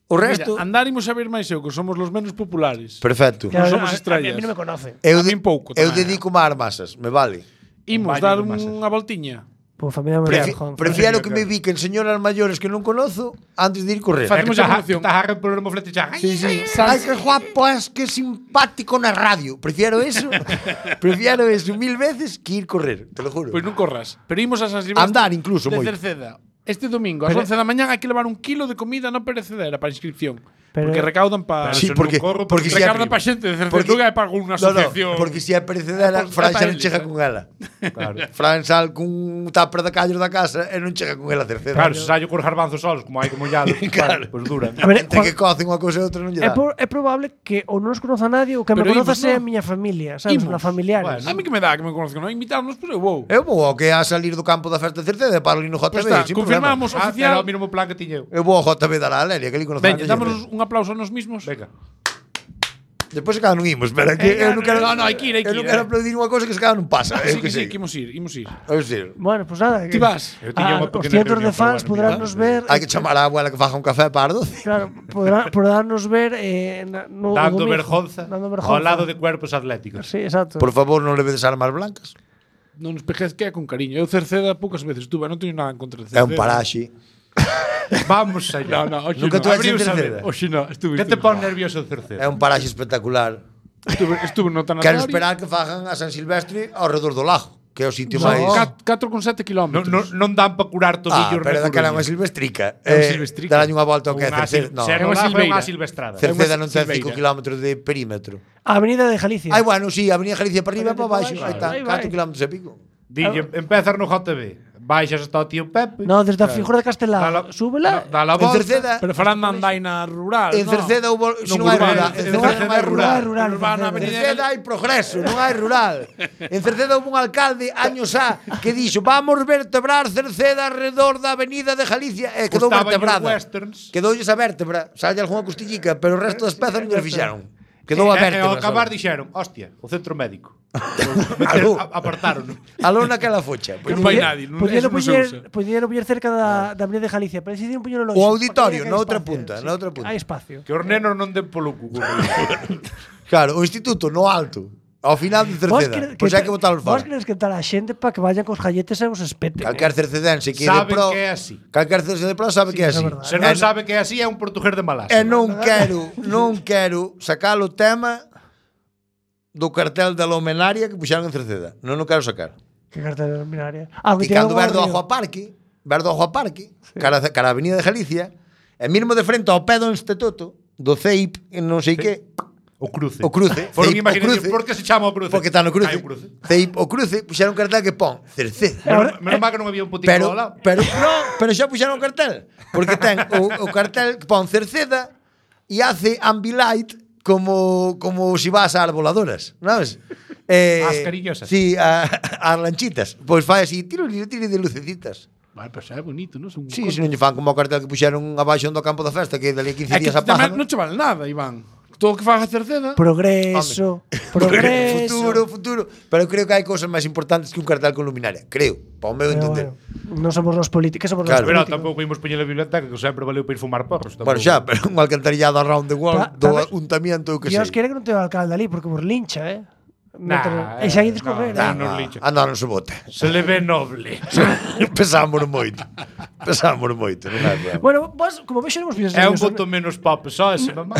O resto... Mira, andar imos a ver máis eu, que somos los menos populares. Perfecto. Non somos a, estrellas. A, a mí non me conoce. Eu, a min pouco eu tamén. dedico a ar masas, me vale. Imos Baño dar de masas. unha voltiña. Por familia me Prefi Juan. prefiero que me biquen señoras maiores que non conozo antes de ir correr. Facemos a promoción. Estás a reponer o moflete xa. Sí, sí. Ai, que guapo es, que simpático na radio. Prefiero eso. Prefiero eso mil veces que ir correr, te lo juro. Pois non corras. Pero imos a San Silvestre Andar incluso, de moito. Cerceda. Este domingo, ás Pero- once da mañá, hai que levar un kilo de comida non perecedera para a inscripción. Pero, Porque recaudan para... Pero Sí, se porque, non corro porque porque si é, Recaudan para xente de porque- Cerceduga e para unha no, no, asociación. porque se é perecedera, Pues, Fran xa para non eles, chega eh. con ela. Claro. Fran sal cun tupper de callos da casa e non chega con ela a Cerceda. Claro, se sallo cos garbanzos solos, como hai que mollalos, Claro. claro, pois duran. A ver, Entre Juan- que cocen unha cousa e outra non lle é, dá. por, é probable que ou non os conoza nadie ou que me Pero conoza imos, sea a non? miña familia, sabes, Imos. na familiares. Bueno, A mí que me dá que me conozco, non? Invitarnos, pois eu vou. Eu vou ao que a salir do campo da festa de Cerceda e paro ali no J B. Pois está, sin confirmamos Ah, oficial. era o mínimo plan que tiña eu. problema. Eu vou ao J B dar a Lelia, que ali conozco. Veña, dámonos un aplauso a nos mismos. Venga. Depois se cada non imos, pero é que eu non quero... No, no, hai que ir, hai que Eu non ir, quero eh. aplaudir unha cousa que se cada non pasa. Sí, Eu que que sí, sei. que imos ir, imos ir. Eu sei. Bueno, pues nada. Ti vas? Eu tiña Ah, unha os pequena cientos de reunión, fans pero bueno, podránnos ver. Hai que chamar a abuela que faja un café para as doce. Claro, podrá, podránnos ver eh, na- no, Dando no domingo, vergonza dando ao vergonza. lado de cuerpos atléticos. Sí, exacto. Por favor, non levedes armas blancas. Non nos pejez que é con cariño. Eu Cerceda poucas veces estuve, non teño nada en contra de É Cerceda. un paraxe. Vamos allá. No, no, hoxe Nunca no. tú has Abriu en saber. Cerceda. Oxe no, estuve. Que te estuve. pon nervioso o Cerceda? É un paraxe espectacular. Estuve, estuve no tanatorio. Quero esperar que fagan a San Silvestre ao redor do lago, que é o sitio Son máis... catro con sete Non, kilómetros. non, non dan para curar Ah, tobillos pero na daquela é Coruña. unha silvestrica. É unha Eh, silvestrica. Darlle unha volta ao que é Unha Cerceda. sil- No, ser É unha no lago é silveira. unha silvestrada. Cerceda É unha non ten silveira. cinco kilómetros de perímetro. A Avenida de Galicia. Ai, bueno, sí, a Avenida Galicia para arriba e para baixo. Claro. Aí está, Aí vai. catro kilómetros e pico. Dille, empezas no J B, baixas hasta o tío Pepe. No, desde a figura de Castelao. Dala- Súbela. Dá la En volta. Cerceda, Pero farán na andaina rural, en no? Cerceda houve, se non Non hai urbana, rural, en en Cerceda Cerceda non hai é rural. rural, rural, Urbana, en En Avenida Cerceda hai progreso, non hai rural. En Cerceda houve un alcalde años a que dixo vamos vertebrar Cerceda alrededor da Avenida de Galicia e quedou Costaban os vertebrada. westerns. Quedoulles a vértebra, salle algunha costillica, pero o resto das pezas non lle fixeron. Quedou a E, e vértebra. ao acabar só. dixeron, hostia, o centro médico. Aló. A- Apartaron. Aló naquela focha. Que non vai nadie, non, Podían eso non se usa. poñer, podían poñer cerca da, da Avenida de Galicia, pero decidieron poñelo longe. O auditorio, porque na hai outra espacio, punta, sí. na outra punta. Hai espacio. Que os nenos non den polo cu. Claro, o instituto no alto, ao final de Vos Cerceda. quere- Pois hai que botalos Vos fora. queres quentar a xente para que vayan cos galletes e os espeten. Calquer cercedense que é de Saben pro, que é así. calquer cercedense de pro sabe que é é así. verdade. Se non sabe que é así, é un portugués de Malasia. E non quero, non quero sacar o tema do cartel da Lomenaria que puxaron en Cerceda. Non o quero sacar. Que cartera binaria. Ah, E cando ver do Ajo Parque, ver do Ajo Parque, cara, cara a Avenida de Galicia, e mesmo de frente ao pé do instituto, do C E I P, non sei que, O cruce. o cruce, Foron C E I P, o imaginación, cruce, por que se chama o cruce? porque está no cruce. Hai un cruce. C E I P, o cruce, puxaron un cartel que pon Cerceda. Menos, menos mal que non había un putinho Pero, ao lado. pero, no, pero xa puxaron o cartel. Porque ten o, o cartel que pon Cerceda e hace Ambilight como, como si vas a arboladoras, sabes? Eh, As cariñosas. Sí, a, as lanchitas. Pois fai así, tiro, tiro, tiro de lucecitas. Vale, pero xa é bonito, non? Son Sí, se non lle fan como o cartel que puxeron abaixo do campo da festa, que dali a quince É que días tamén apagan. non che vale nada, Iván. Todo o que faga Cerceda. Progreso, progreso. Futuro, futuro. Pero creo que hai cousas máis importantes que un cartel con luminaria. Creo, para o meu Pero entender. bueno, non somos los políticos, somos Claro. los Pero políticos. tampouco imos poñer a biblioteca, que sempre valeu para ir fumar porros. Bueno, xa, pero un alcantarillado around the world Ta- do tamén- untamiento, eu que Dios sei. quere que non te o alcalde ali, porque vos lincha, eh? Nah, e xa eh, ides correr, no, eh? no. nos lincha. Anda, non se bote. Se le ve noble. Pesámonos moito. Pesámonos moito, non é problema. Bueno, vos, como vexo, non vos É un voto menos pop, só ese, mamá.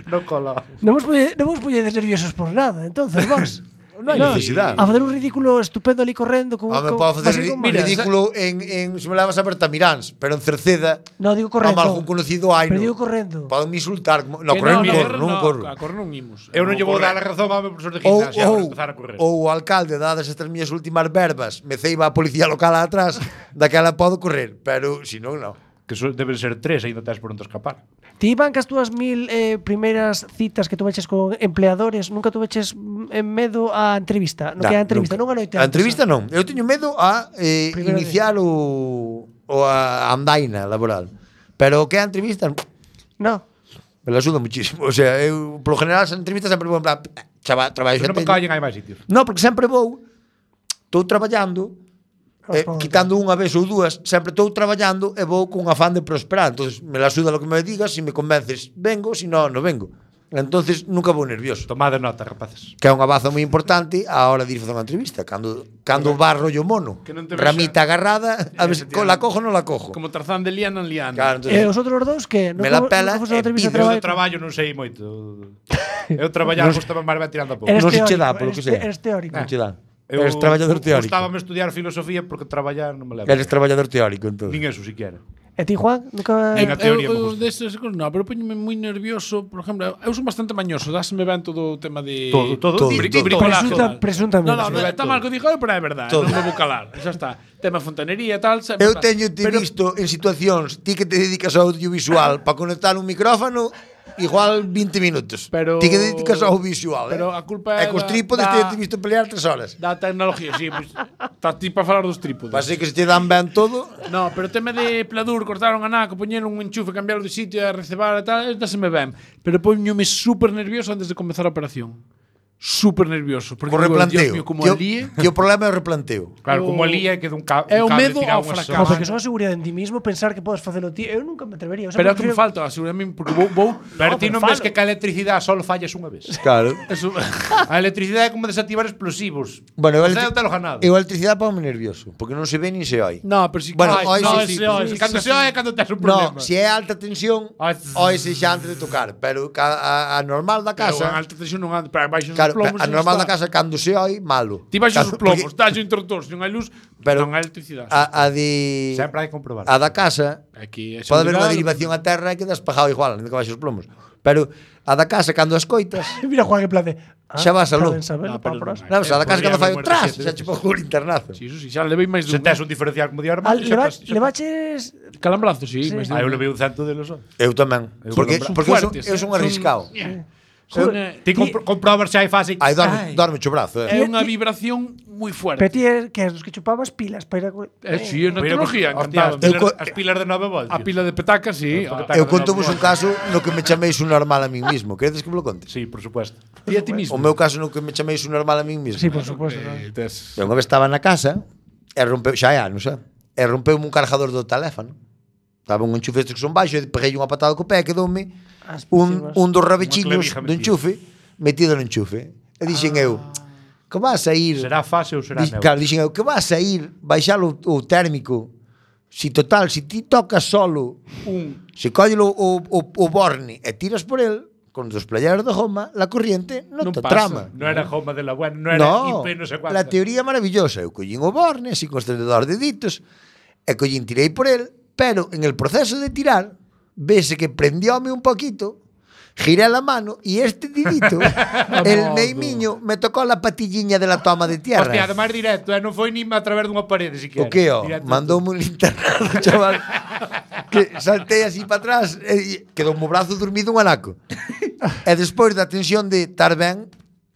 No cola. Non vos, polle, non vos polledes nerviosos por nada, entonces, vos. Non hai necesidade. A facer un ridículo estupendo ali correndo con, Home, con, podo facer así ri- con- ridículo en, en se me levas a Bertamiráns, pero en Cerceda, No, digo a correndo. algún conocido hai, Pero no. digo correndo. Poden me insultar. como- No, Que correr non no, corro, non no, corro. A correr non imos. Eu non lle vou dar a razón ao meu profesor de gimnasia Ou, para ou, empezar a correr. ou o alcalde, dadas estas miñas últimas verbas, me ceiba a policía local atrás, daquela podo correr, pero se non, non. Que so, deben ser tres, aí non tens por onde escapar. Ti, Iván, que as túas mil eh, primeiras citas que tu veches con empleadores, nunca tu veches mm, en medo a entrevista? No, que é a entrevista, nunca. non a noite A antes, entrevista ah. non. Eu teño medo a eh, Primeira iniciar o, o a andaina laboral. Pero o que é a entrevista, No. me la suda muchísimo. O sea, eu, polo general, as entrevistas sempre vou en plan, chava, traballo Se xa non me teño. callen, hai máis sitios. No, porque sempre vou, estou traballando, eh, Responde. quitando unha vez ou dúas, sempre estou traballando e vou con afán de prosperar. Entonces, me la suda lo que me digas, si me convences, vengo, si no, no vengo. Entonces, nunca vou nervioso. Tomade nota, rapaces. Que é unha baza moi importante a hora de ir facer unha entrevista. Cando, cando barro yo mono, Que non te vexa- ramita agarrada, a ver se la cojo ou non la cojo. Como Tarzán de liana en liana. Claro, entonces, E os outros dous que? Me la pela nunca fose e unha entrevista de Eu traballo. do traballo non sei moito. Eu traballar gustaba máis ben tirando a pouco. Eres non se che teórico, dá, polo que eres sea. te- eres teórico. Non che dá. Eu Eres traballador teórico. Gustábame estudiar filosofía porque traballar non me leva. Eres traballador teórico, entón. Nin eso siquiera. E ti, Juan? Nunca... En a teoría me eu, eu gusta. destes cosas, no, pero poñome moi nervioso, por exemplo, eu son bastante mañoso, dáseme ben todo o tema de Todo, todo. Todo, Bri- todo. bricolaje, Presunta- tal. presuntamente. No, no, no, Todo. está mal que digo, eu, pero é verdade, Todo. non me vou calar. Xa está. Tema fontanería e tal, sempre Eu tal. teño te Pero- visto en situacións, ti que te dedicas ao audiovisual, para conectar un micrófono, igual vinte minutos. Pero- Ti que dedicas ao visual, pero eh? a culpa é E cos da- trípodes da- te he visto pelear tres horas. Da tecnología, sí, pues, estás ti para falar dos trípodes. Para ser que se te dan ben todo. No, pero o tema de pladur, cortaron a naco, poñer un enchufe, cambiarlo de sitio e recebar e tal, esta se me ven. Pero poñome super nervioso antes de comezar a operación. Super nervioso. Porque Co digo, replanteo. Dios mío, como que, o- alíe. que o problema é o replanteo. Claro, O- como alía que dun ca É o un cable medo tirado ao unha fracaso. No, semana. porque son a seguridade en ti mismo pensar que podes facelo ti. Eu nunca me atrevería. O sea, Pero é que me prefiro- falta, asegurame, porque vou... vou Pero no, ti non falo. ves que ca electricidade solo fallas unha vez. Claro. Eso, A electricidade é como desactivar explosivos. Bueno, eu O electri- ceo te lo ganado. eu a electricidade ponme nervioso, porque non se ve nin se oi. no, pero si... Bueno, Ay, oi, no, sí, sí, ese oi, Sí, cando cando se oe é cando tes un No, problema. se é alta tensión, Ai, oi se xa antes de tocar, pero ca- a, a normal da Pero casa, en alta tensión non anda, pero baixo os claro, plomos. a e normal da está. casa cando se oi, malo. Ti baixo os Claro, plomos, porque dalle o interruptor, se non hai luz, Pero non hai electricidade. A, a de Sempre hai que comprobar. a da casa Aquí é pode haber unha seguridade. derivación a terra e que despejado igual, non que baixo os plomos. Pero a da casa cando as coitas, Mira, Juan, en plan de... Ah, Xa vas a está luz. ben sabelo, No, pero pa, non hai. non, a da casa podría cando fai o haber muerto tras, siete xa veces. che pongo un internazo. Sí, eso sí, xa levei máis Se dun. tes un diferencial como de Ah, armario, leva, xa tes- xa- levaches... Calambrazo, sí, Sí. máis Ah, eu dun. levei un cento delos. ó. Eu tamén, Eu porque son porque eu son, fuertes, eu eh, son son- arriscado. Son, eh, Ti compro- comprobas se hai fase. Aí dorme, Ai. dorme cho brazo, É eh. unha vibración moi fuerte. Pero ti é que és dos que chupabas pilas para ir a... É si, é na Mira, tecnología, hostia, encantado. as pilas, Eu co- as pilas de nove voltios. A pila de petacas, sí. Porque a- ta- Eu contovos un caso no que me chameis un normal a min mismo. Queredes que me lo conte? Sí, por supuesto. Ti a ti O mismo. meu caso no que me chameis un normal a min mismo. Sí, por suposto. Eh, tes- Eu unha vez estaba na casa e rompeu, xa hai anos, xa. E rompeu un cargador do teléfono. Estaba un enchufe estes que son baixo, e peguei unha patada co pé e quedoume As un, próximas. un dos rabechiños clavija do metida. enchufe metido no enchufe. E dixen eu, que vas a ir... Será fase ou será Di- neutro? Claro, dixen eu, que vas a ir baixar o, o térmico. Si total, si ti tocas solo un, se colle o, o, o, o borne e tiras por el, con dos playeros de goma, la corriente non, Non te pasa. trama. Non era goma de la buena, non era No, I P, non sei cuánto. la teoría é maravillosa. Eu collín o borne, así con os tendedores de deditos, e collín, tirei por el, pero en el proceso de tirar, vese que prendióme un poquito, giré la mano y este dedito, el meimiño, me tocó la patilliña de la toma de tierra. Hostia, además directo, eh, non foi nin a través dunha parede siquiera. O que, o? Directo. Mandoume un internado, chaval. Que saltei así para atrás e quedou o brazo dormido un anaco. E despois da tensión de estar ben,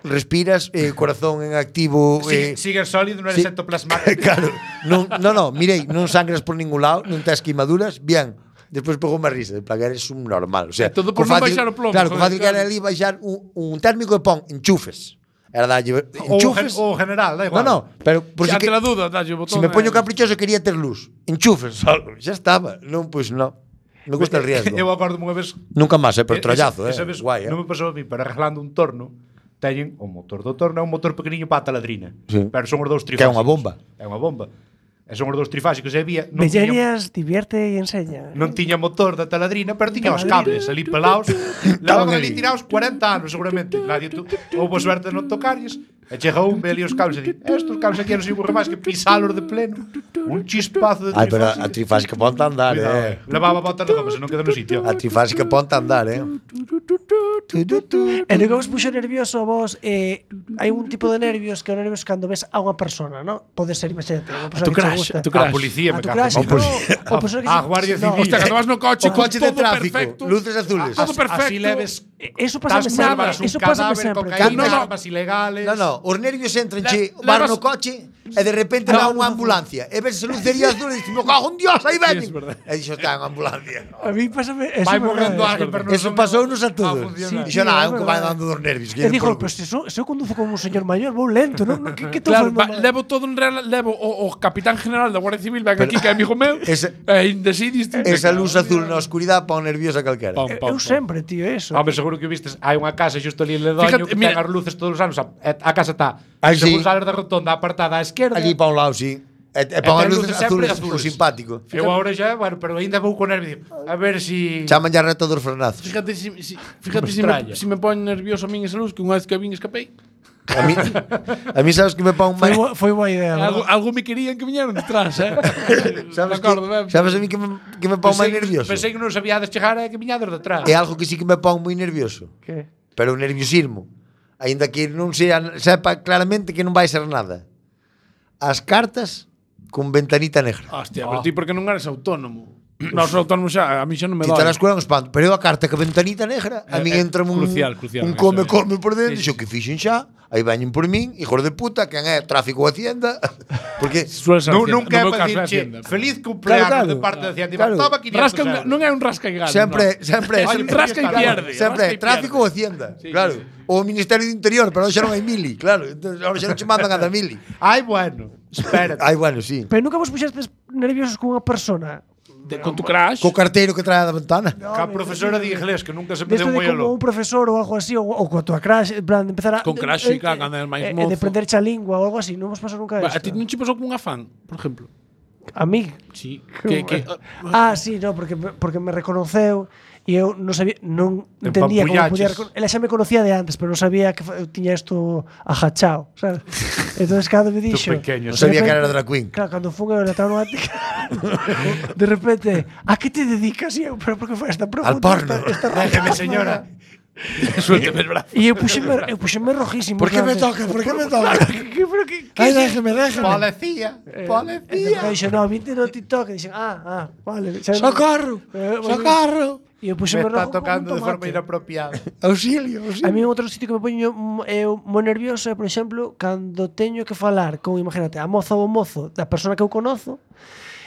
respiras, eh, corazón en activo, eh, Sigue, sigue sólido, non sí. eres ectoplasmático. claro. Non, no, no, mirei, non sangras por ningún lado, non tes queimaduras, bien. Despois pegou unha risa, de plan, eres un normal. O sea, E todo por co non fácil- baixar o plomo, Claro, co joder, fácil que era claro. ali baixar un, un térmico e pon enchufes. Era dalle Ou o enchufes. gen- o general, da No, igual. no, pero por si, Si ante que, la duda, dalle o si botón. me poño eh. caprichoso quería ter luz. Enchufes solo, xa estaba. Non, pois non. Me gusta el riesgo. Eu acordo unha vez. Nunca máis, eh, pero esa- trollazo, eh. esa vez Guai, eh. Non me pasou a mí, pero arreglando un torno, teñen o motor do torno, é un motor pequeniño para a taladrina. Sí. Pero son os dous Que é trifásicos. unha bomba. É unha bomba. E son os dous trifásicos e había, non tiña, Bellerias, divierte e enseña. non tiña motor da taladrina, pero tiña os Taladrina. cables ali pelados. Levaban ali. ali tirados cuarenta anos seguramente. Nadie tu, houbo suerte de non tocarlles. E chega un, ve ali os cables e di, estos cables aquí non sirven máis que pisalos de pleno. Un chispazo de Ai, pero a trifásico. trifásica ponte a andar, Cuidado, eh. eh. Levaba botas de goma, se non queda no sitio. A trifásica ponte a andar, eh. E no que vos puxo nervioso a vos, eh, hai un tipo de nervios que é o nervios cando ves a unha persona, ¿no? Pode ser, imagínate, unha persona tu que te crash, gusta. a tu A crash. policía A me tu cago. crash, en no, Dios. o persona que A se- Guardia no, Civil. Hostia, cando vas no coche, O coche de todo tráfico, perfecto. luces azules. Todo perfecto. Así leves. Eso pasa Estás sempre, salvas un eso pasa cadáver, sempre. cocaína, No, no. armas ilegales. No, no, os nervios entran, Le- che, levas- vas no coche e de repente va unha ambulancia e ves a lucería azul e dices, me cago en Dios, aí Sí, ven. es verdad. E dixo, está en ambulancia. A mí pásame eso. Vai é verdade. morrendo alguén, pero non Eso son- pasounos a a todos. funcionar. Dixo, Sí, nada, é un que verdade. vai dando dos nervios. E dijo, pues se eu, se eu conduzo como un señor maior, vou lento, non? Que, que tô Claro, facendo va, mal? levo todo en real, levo o, o capitán general da Guardia Civil, ven aquí que é amigo meu. Ese- E indecidis. Esa luz azul na oscuridade pon nerviosa calquera. Pam, Eu- pam, Eu pam. sempre, tío, eso. Home, seguro que vistes, hai unha casa xusto ali en Ledoño Fíjate, que mira- ten as luces todos os anos. A, a casa está, Ah, según sí. sales da rotonda, apartada á esquerda. Allí pa un lado, sí. E, e pon as ten luces luces sempre azules, o azules. simpático. Eu agora xa, bueno, pero ainda vou con nervio. A ver si... Chaman ya reto dos frenazos. Fíjate si, si, fíjate Me si, me, extraña. si me pone nervioso a min esa luz, que unha vez que vin escapei. A mí, a mí sabes que me pon Foi, máis... bo- foi boa idea. Algo, ¿verdad? algo me querían que viñeron detrás, eh? Sabes, Me acordo, que, ben. sabes a mí que me, que me pon máis nervioso? Pensei que non sabíades chegar e que viñades detrás. É algo que sí que me pon moi nervioso. Que? Pero o nerviosismo. Ainda que non sea, sepa claramente que non vai ser nada. As cartas con ventanita negra. Hostia, pero ti porque non eres autónomo? Non, os autónomos xa, a mí xa non me Ti dói. te la escuela un espanto. Pero eu a carta que ventanita negra, a Eh, min eh, entra un, crucial, crucial, un eso, come, eh. come por dentro. Sí, Dixo sí. que fixen xa. Aí veñen por min, hijos de puta, quen é tráfico ou Hacienda. Porque Suele ser Non, Hacienda. nunca é No meu para caso é dicirche Hacienda. feliz cumpleaños Claro, claro. de parte de Hacienda. Claro. Toma quinientos Rasca, euros. non é un rasca e gana. sempre, no. sempre, Hai un sempre, rasca e pierde. sempre rasca e tráfico ou pierde. Hacienda. Sí, Claro. sí, sí. O Ministerio do Interior, pero xa non hai mili, claro. Entonces, ahora xa non che mandan a da mili. Ai, bueno. Espérate. Ai, bueno, sí. Pero nunca vos puxestes nerviosos con unha persona. De, con tu crash. Co carteiro que trae da ventana. No, Ca me- profesora de inglés que nunca se me Desto deu de moi como alo. un profesor ou algo así, ou, ou coa tua crash, en plan, de empezar a... Con crash, sí, claro, cando eres máis eh, mozo. De prenderche a lingua ou algo así, non vos pasou nunca Va, isto. a ti non che pasou con un afán, por exemplo? A mí? Sí. Que, que, Ah, sí, no, porque, me- porque me reconoceu e eu non sabía, non entendía como podía Empampullaches. reconocer. Ela xa me conocía de antes, pero non sabía que fa- eu tiña isto ajachado, sabes? Entonces cando me dixo, pequeño. Non de sabía que repente- era drag queen. Claro, cando fun eu letrado no ático, de repente, a que te dedicas? E eu, pero por que foi esta pregunta? Al porno. Esta, esta Déjeme, señora. suélteme el brazo. E eu puxeme, eu puxeme rojísimo. Por que en plan me de- toca? Por que me toca? Que, pero que, que Ai, déjeme, déjeme. Policía. E Policía. dixo, no, vinte no TikTok. E dixen, ah, ah, vale. xa- Socorro, Eh, bueno, socorro. E eu Me puxeme está rojo como un tocando de forma tomate. inapropiada. Auxilio, A auxilio. mí outro sitio que me poño mm, eu moi nervioso é, por exemplo, cando teño que falar con, imagínate, a moza ou o mozo da persona que eu conozo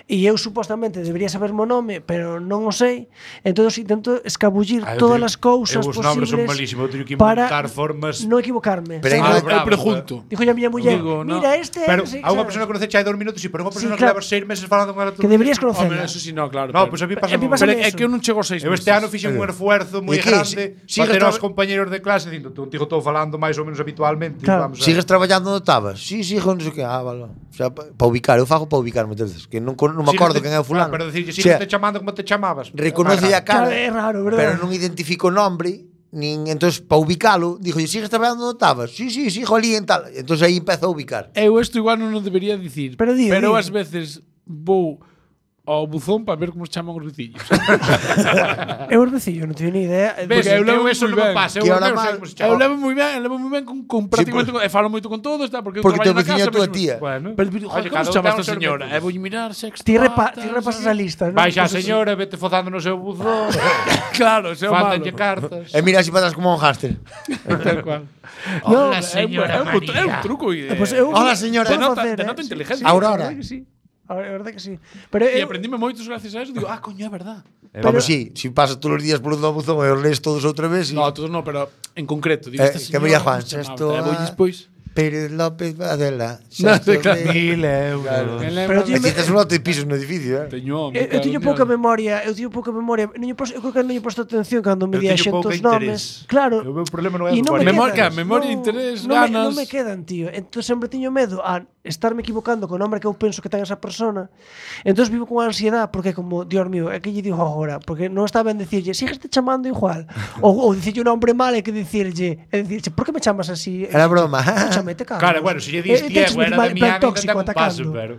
e eu supostamente debería saber o nome, pero non o sei, entón intento escabullir Ah, eu todas teño- as cousas eu os nombres son posibles malísimos, eu teño que para inventar formas. non equivocarme. Pero aí Ah, non- eu bravo, pregunto. Dijo a miña muller, Digo, no. mira, este Pero sí, a unha sabes? persona que conoce hai dos minutos, sí, pero unha Sí, persona que claro. leva seis meses falando con ela todo que deberías o día. conocer. Hombre, eso sí, no, claro. No, pero- pois a mí A pasa mí moi pasa Pero eso. é que eu non chego a seis Eu meses. este ano fixen un esfuerzo moi E que, grande si- para ter sigues aos traba- compañeros de clase dicindo, contigo estou falando máis ou menos habitualmente, Claro. vamos a Sigues traballando no Tabas? Sí, sí, non sei que. Ah, vale. O sea, para pa ubicar, eu fago para ubicar moitas veces, que non, con- non me acordo quen é o fulano. Pero decirlle, O sea, sigue te chamando como te chamabas. reconoce a cara, Claro, é raro, verdad? pero non identifico o nombre, nin entonces para ubicalo, dijo, "Sigues traballando no Tabas?" Sí, sí, sigo ali en tal. Entonces aí empezo a ubicar. Eu isto igual non o debería dicir. Pero di, pero di. ás veces vou ao buzón para ver como se chaman os veciños. Eu os vecillo, non teño ni idea. Ves, Porque eu eu, levo eso moi non me ben. pasa, eu Que os ahora meus mal- sei como se Eu chama. levo moi ben, levo moi ben con, con prácticamente con, e falo moito con todos, está, porque eu Porque teu traballo na veciño é casa, tua pero- tía. Bueno, Pero, pero Oye, joder, como cada se un chama ten esta os seus señora? métodos. E vou mirar sexto. Ti, repa, ti repasas a lista, non? Vai xa, Pues eso. señora, vete fozando no seu buzón. Claro, ese é o malo. Faltanlle cartas. E mira así para atrás como un hámster. Tal cual. No, Hola, É un- señora é un, é un María. truco. E, Eh, pues eu Hola, señora. podo Denota- facer, denota eh. inteligencia. Sí, Aurora. a verdade que sí. A verdade que sí. Pero e eu, aprendime moitos gracias a eso. Digo, ah, coño, é verdad. Vamos, sí, si pasas todos os días por un buzón e os lees todos outra vez, sí. No, todos no, pero en concreto. Digo, Eh, esta que señora, María como Juan, se chamaba? esto E vou a- despois. Pérez López Adela. No, sí, claro. Mil euros. Pero Aquí tío, estás un lote de pisos no edificio, eh? Teño, eu, eu teño pouca memoria, eu teño pouca memoria. Non lle posto, eu creo que non lle posto atención cando me Eu di a teño pouca xentos interés. nomes. Claro. O meu problema non é E non me memoria. Memoria, quedan. memoria, Non- interés, non me, ganas. non me quedan, tío. Entón sempre tiño medo a estarme equivocando co nome que eu penso que ten esa persona. Entón vivo con ansiedade porque como, Dios mío, é que lle digo agora, porque non está ben dicirlle, sígueste chamando igual. ou, ou dicirlle un nombre mal e que dicirlle, e dicirlle, por que me chamas así? Era broma. Escúchame, te cago. Claro, bueno, se lle dis E- e Diego, tens era mal- de plan Miami, ainda tóxico ten un paso, atacando. pero...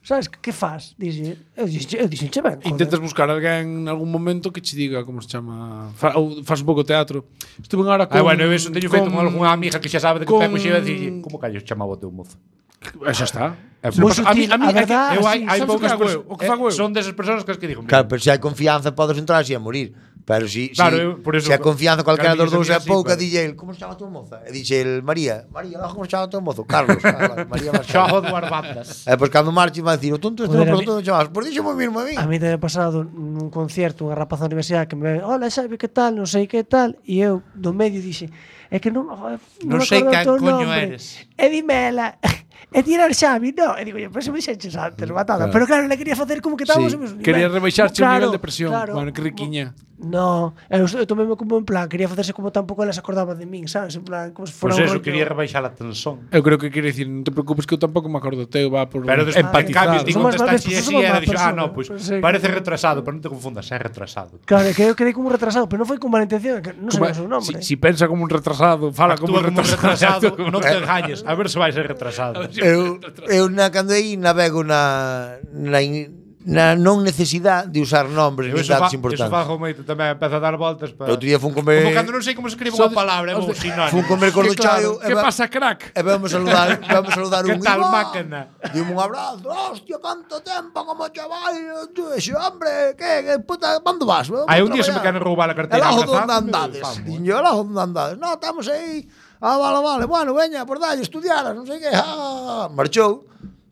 Sabes, que faz? Dixe, eu dixe, eu dixenche ben. joder. Intentas buscar alguén en algún momento que che diga como se chama, fa, ou fas un pouco de teatro. Estuve agora con Ah, bueno, eu eso teño feito con algunha amiga que xa sabe de que con- Pepe xe iba a dicir, como callos chamaba o teu mozo? E xa está. É, Moi pues, a mí- sutil, a mí- a é que verdad, eu hai, sí, hai sabes o que poucas fago eu? persoas, O que fago eu? son desas persoas que as que digo, Claro, pero se hai confianza podes entrar así a morir. Pero si, Claro, si, eu, por eso, se a confianza cualquera claro, dos dous é así, pouca, pero- dille el, como se chama a tua moza? E dixe el, María, María, como se chama a tua mozo? Carlos, ah, vale, María Machado. Xojo duas bandas. E pois cando marche vai dicir, o tonto este Joder, non a mí- preguntou chamas, pois dixo moi mismo a mí. A mí te ha pasado nun concierto unha rapaza da universidade que me ve, hola, Xavi, que tal, non sei que tal, e eu do medio dixe, é que non, joder, Non non me sei acordo o can teu coño nombre. eres. E dimela. e ti era el Xavi, no. E digo, pero se me dixeches antes, matada. Claro. Pero claro, le quería facer como que estábamos Sí. no mesmo nivel. Quería rebaixarche o Claro, nivel de presión. claro. Bueno, que riquiña. No, eu, eu toméme como en plan, quería facerse como tampouco ela se acordaba de min, sabes? En plan, como se fora Pois un eso, rollo- quería rebaixar a tensón. Eu creo que quere dicir, non te preocupes que eu tampouco me acordo teu, va por Pero despois, en empatizar. cambio, ti Somos más contestaste bestos, así somos e más era dixo, ah, personas. no, pois Pues sí, parece claro. retrasado, pero non te confundas, é retrasado. Claro, que eu quedei como un retrasado, pero non foi con mala intención, que non Como- sabía o seu nombre. Si, si pensa como un retrasado, fala como Actúa un como un retrasado. retrasado, non te engañes, a ver se vai ser retrasado. Eu, eu na cando aí navego na, na, in- na non necesidade de usar nombres Eu nin eso, datos fa, eso importantes. fago moito tamén, empeza a dar voltas para... Outro día fun comer Como cando non sei como se escribe Sodes- unha palabra, é os un de- sinónimo. fun comer con o chaio Que pasa, crack? E vamos saludar, vamos saludar Que un tal, Iván. máquina? Dime un abrazo. Hostia, canto tempo como chaval. Ese hombre, que, que puta, ¿cuándo vas? Vamos Hai a un día se me traballar. queren roubar a carteira. El ojo donde abrazando, andades. vamos. Dixen yo, el ojo donde andades. No, estamos aí. Ah, vale, vale. Bueno, veña, por dalle, estudiaras, non sei que. Ah, marchou.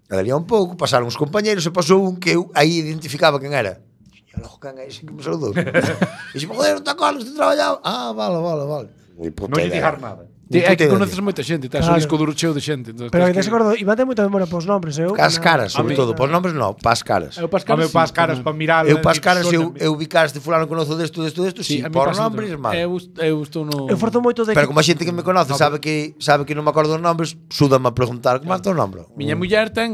E daría un pouco, pasaron os compañeiros e pasou un que eu aí identificaba quen era. Dixen, el ojo, quen é ese que me saludou? Dixen, joder, non te acordas, te traballaba. Ah, vale, vale, vale. Ni puta Non lle idea. digar nada. Ni É puta que idea. conoces moita xente, estás Claro. o disco duro cheo de xente. Entonces Pero tens que te acordo, Iván ten moita memoria pos nombres, eu. As na- caras, sobre a mí, todo. Pos nombres non, pas caras. Eu pas Home, caras, pas sí, caras tamén. para mirar. Eu pas caras, eu, eu vi caras de fulano conozo desto, desto, desto, sí, a mí por pásame nombres, tamén. mal. Eu, eu estou no... Eu forzo moito de Pero que- como a xente que me conoce sabe que sabe que non me acordo dos nombres, súdame a preguntar como é o teu nombre. Miña muller ten,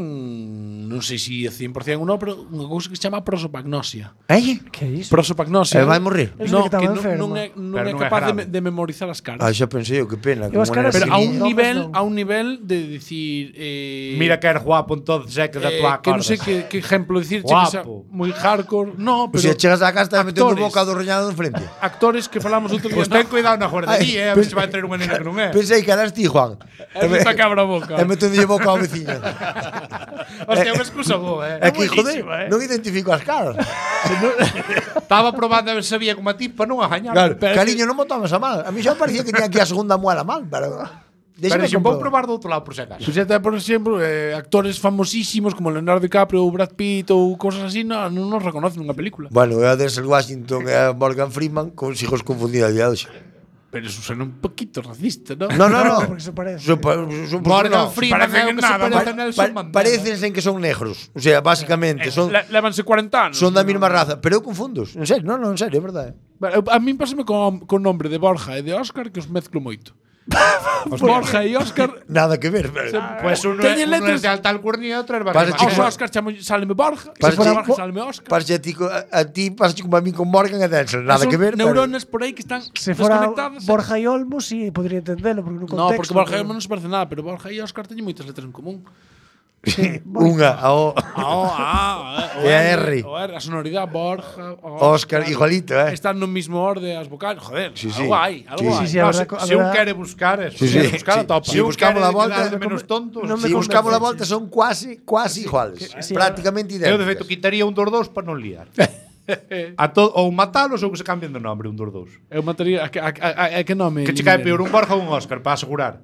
non sei se é cien por cien ou non, pero unha cousa que se chama prosopagnosia. Eh? Que é iso? Prosopagnosia. E vai morrer. Eu No, sei que que estaba non, enferma. non é, non Pero é non é capaz de, grave. me- de memorizar as caras. Ah, xa pensei eu, que pena. Eu as como caras era Pero así. a un Nombres nivel, non. a un nivel de decir eh, Mira que eres guapo, entonces é que da eh, tua que non sei acordas. que, que ejemplo decir que sea Guapo. moi hardcore. No, O pero sea, chegas á casa e metendo actores. boca do reñado de frente. actores que falamos outro día. Pois ten cuidado na guardería, eh, a ver se vai traer unha nena que non é. Pensei que eras ti, Juan. É me cabra a boca. E metendo boca ao veciño. Hostia, unha excusa boa, eh. É que, joder, buenísima, eh. non identifico as caras. Estaba probando a ver se sabía como a ti para non agañar. Claro, pero- cariño, non me tomas a mal. A mí xa parecía que tiña aquí a segunda muela mal, pero... Pero Déxame se vou comprobar. probar do outro lado por se acaso. Pois até, por exemplo, eh, actores famosísimos como Leonardo DiCaprio ou Brad Pitt ou cosas así, non, non nos reconocen nunha película. Bueno, eu a Denzel Washington e a Morgan Freeman consigo os confundir a día de hoxe. Pero eso suena un poquito racista, ¿no? No, no, no. porque se parece. Son, pa- son, Morgan no. Freeman parece é que o que se nada, parece Pa- a Nelson pa- Mandela. Parecense en que son negros. O sea, básicamente, son, Le, lévanse cuarenta anos. son da mesma raza. Pero eu confundos. En serio, non, non, en serio, é verdade. Bueno, eu- A mí pásame con, con nombre de Borja e de Óscar que os mezclo moito. Borja e Óscar. Nada que ver. Pero... Pues uno é, Teñen uno é letras- de alta alcurnia e outro é de Pasa, barrio chico, Aos baixo. Óscar chamo, sáleme Borja, Pasa, se fora chico, Borja sáleme Óscar. Parece a ti, co- a, a ti pasa como a mí con Morgan e Denzel. Nada Son que ver. pero- neuronas por aí que están Se fora desconectadas. Borja e Olmo, sí, podría entendelo, porque no No, contexto. porque Borja e pero- Olmo non se parece nada, pero Borja e Óscar teñen moitas letras en común. Unha, a O. A O, A, E a R. O R, a sonoridade Borja, Óscar, igualito, eh. Están no mismo orde as vocales, joder. Sí, sí. Algo hai, algo Sí, hai. sí, sí, a No, verdad, se, a se un verdad- quere buscar, eso, Sí, se sí, buscar sí. atopa. Si buscamos la volta, de menos tontos. no me Si buscamos la volta convences. son quasi, quasi iguales. sí, Prácticamente Eu, de feito, idénticas. quitaría un dos dous para non liar. A to, ou matalos ou que se cambien de nombre un dos dous. Eu mataría a que, a, a, a, a que nome? Que che cae peor un Borja ou un Óscar para asegurar.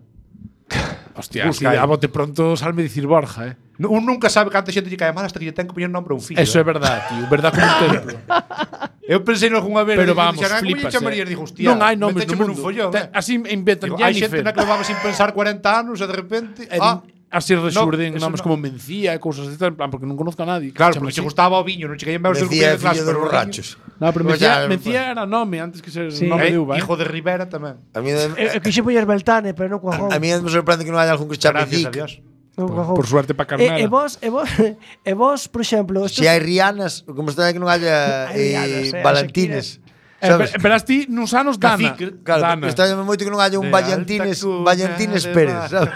Hostia, Busca así, aí. a bote pronto salme dicir Borja, eh. Un nunca sabe canta xente lle cae mal hasta que lle ten que poñer nombre a un fillo. Eso é verdade, tío, verdad como un templo. Eu pensei algunha vez, Pero digo, vamos, dixen, "Ah, como lle flipas. chamarías?" Eh. Digo, hostia, Non hai nomes no metécheme nun mundo. follón, Te- eh. Así inventan Digo, hai xente Jennifer. na que levaba sin pensar cuarenta anos e de repente, E ah, din- así resurden eso nomes no. como Mencía e cousas así, en plan, porque non conozco a nadie. claro, Chama porque che así. gustaba o viño, non che caían meus dos Decía compañeros de clase, fillo dos pero o borrachos. No, pero Pues Mencía, ya, Mencía era nome antes que ser Sí. nome Eh, de uva, eh. hijo de Rivera tamén. A mí, Eu, eu quixen poñer Beltane, pero non coa a, a mí me sorprende que non haya algún que se chame Gracias a Dick. Dios. Por, por suerte para E, Carmela. e vos, e vos, e vos, por exemplo, estos- Se hai Rianas, como está que non haya Hai eh, Rianas, eh, Valentines. Eh, Sabes? pero verás ti nuns anos Dana. Cacique, Claro, Dana. está moito que non haya un Vallantines, Vallantines Pérez, sabes?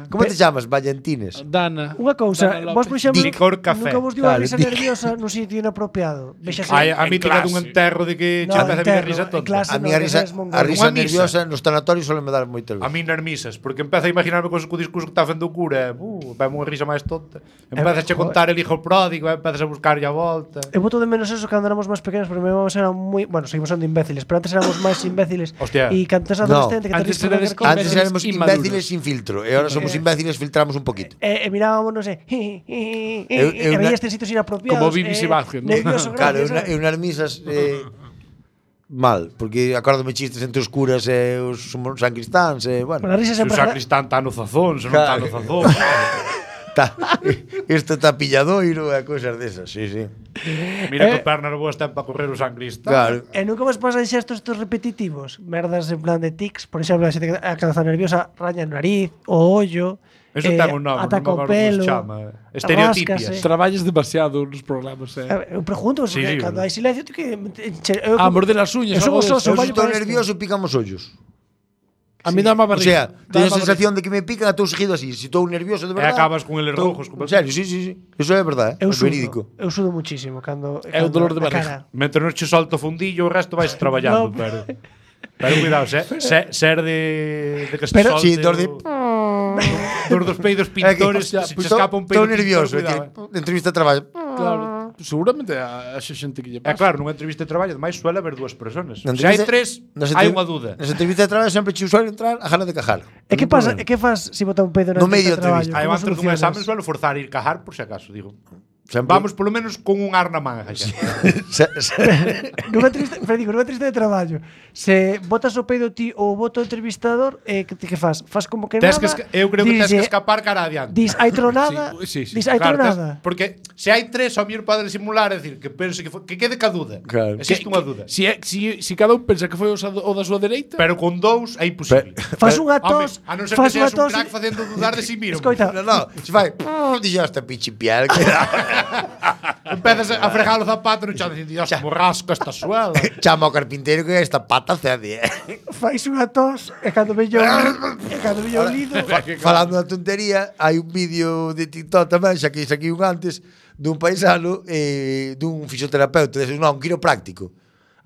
Como te chamas? Vallantines. Dana. Unha cousa, Dana vos, por López. exemplo, Licor café. nunca vos dio a Claro, risa Dick. nerviosa nun sitio inapropiado. Vexase, Ai, a mí En tiña clase. dun enterro de que No, che empeza a vir enterro, risa en tonta. clase. A mí no, a risa, esa es mongol. a risa Unha misa. nerviosa nos tanatorios suelen me dar moitas A veces. mí nas misas, porque empeza a imaginarme con co discurso que está facendo o cura, e, uh, vai unha risa máis tonta. Empeza a contar el hijo pródigo, e empezas a buscar a volta. Eu voto de menos eso cando éramos máis pequenos, porque vamos eran moi, bueno, seguimos sendo imbéciles, pero antes éramos máis imbéciles. Hostia. E cando tes No, adolescente que te antes ríes por eres calquer cousa, Antes Imbéciles éramos inmaduros. imbéciles sin filtro e ahora somos imbéciles filtramos un poquito. E, e mirábamos, non sei, e Eu- eu e na- veías en sitios inapropiados. Como Bibi eh, Sebastián, ¿no? Nervioso, Claro, eu, gracias, na, ¿sabes? eu nas misas eh, mal, porque acórdame chistes entre os curas e os sacristáns, e, bueno. Bueno, a risa Se o sempre... sacristán está no zazón, se non está no zazón. Tá, isto está pilladoiro e cousas desas, sí, sí. Mira Eh. que pernas boas ten para correr o sancristán. Claro. E nunca vos pasan xestos estos repetitivos? Merdas en plan de tics, por exemplo, a xente que a cabeza nerviosa raña o nariz, o ollo, Eso eh, ten un nome, ataca non me o acordo como pelo, se chama. Estereotipias. ráscase. Traballas demasiado nos programas, eh. Eh, Eu pregunto, Sí, porque sí, cando bueno. hai silencio, tío, que che- eu Ah, como- morder as uñas. Eu son algo os de osos, eso. Eu vale se estou para isto. nervioso, pícame os ollos. A mí dá má O barriga. sea, Dá teño a má sensación de que me pican e estou seguido así. Se estou nervioso de E verdade. acabas con eles estou- rojos. En serio, sí, sí, sí. Eso é verdade, Eu é sudo, verídico. eu sudo muchísimo cando, É o cando dolor de a barriga. cara. Mentre non che solto o fundillo, o resto vais traballando, No. pero pero cuidado, se, se, ser de de que se Pero- solte Sí, dos de- o- dos dos peidos É que, pintores, hostia, se pues che escapa un peido estou nervioso, pintor, é cuidado, que entrevista de traballo. Claro. Seguramente a, a xente que lle É pasa. claro, nunha entrevista de traballo, ademais suele haber dúas persoas. Na Se hai entrevista- tres, nas hai entrev- unha duda. Nas entrevistas de traballo sempre che suele entrar a gana de cajar. E que Non pasa? problema. E que fas se bota un pedo na No medio entrevista de da entrevista. traballo? Aí Como antes dun solucionas? examen suelo forzar a ir cajar por se acaso, digo. Sempre- Vamos polo menos con un ar na manga, xa. Se- se- Nunha entrevista, pero digo, nunha entrevista de traballo, se botas o peido ti ou boto o entrevistador, eh, que, que fas? Fas como que Tes nada? que esca- eu creo que tes que dislle- escapar cara adiante. Dis, hai tronada, Sí, sí, sí. dis, hai Claro, tes- tronada. porque se hai tres, ao mellor poden simular, é dicir, que pense que foi, que quede ca duda. Claro. Existe unha duda. Si, é, si, si cada un pensa que foi o, sa- o da súa dereita, Pero con dous é imposible. Fas unha Home, tos, a non ser fas que unha seas un tos. crack facendo dudar de si mismo. Escoita, No, no, se fai. Dixo esta pichi piel. que- Empezas a fregar o zapato no chan dicindo, Dios, como rasco esta suela. Chama ao carpinteiro que esta pata cede. eh. fais unha tos e cando veño e cando veño o lido, Falando da tontería, hai un vídeo de TikTok tamén, xa que aquí un antes, dun paisano, eh, dun fisioterapeuta, de, non, un quiropráctico.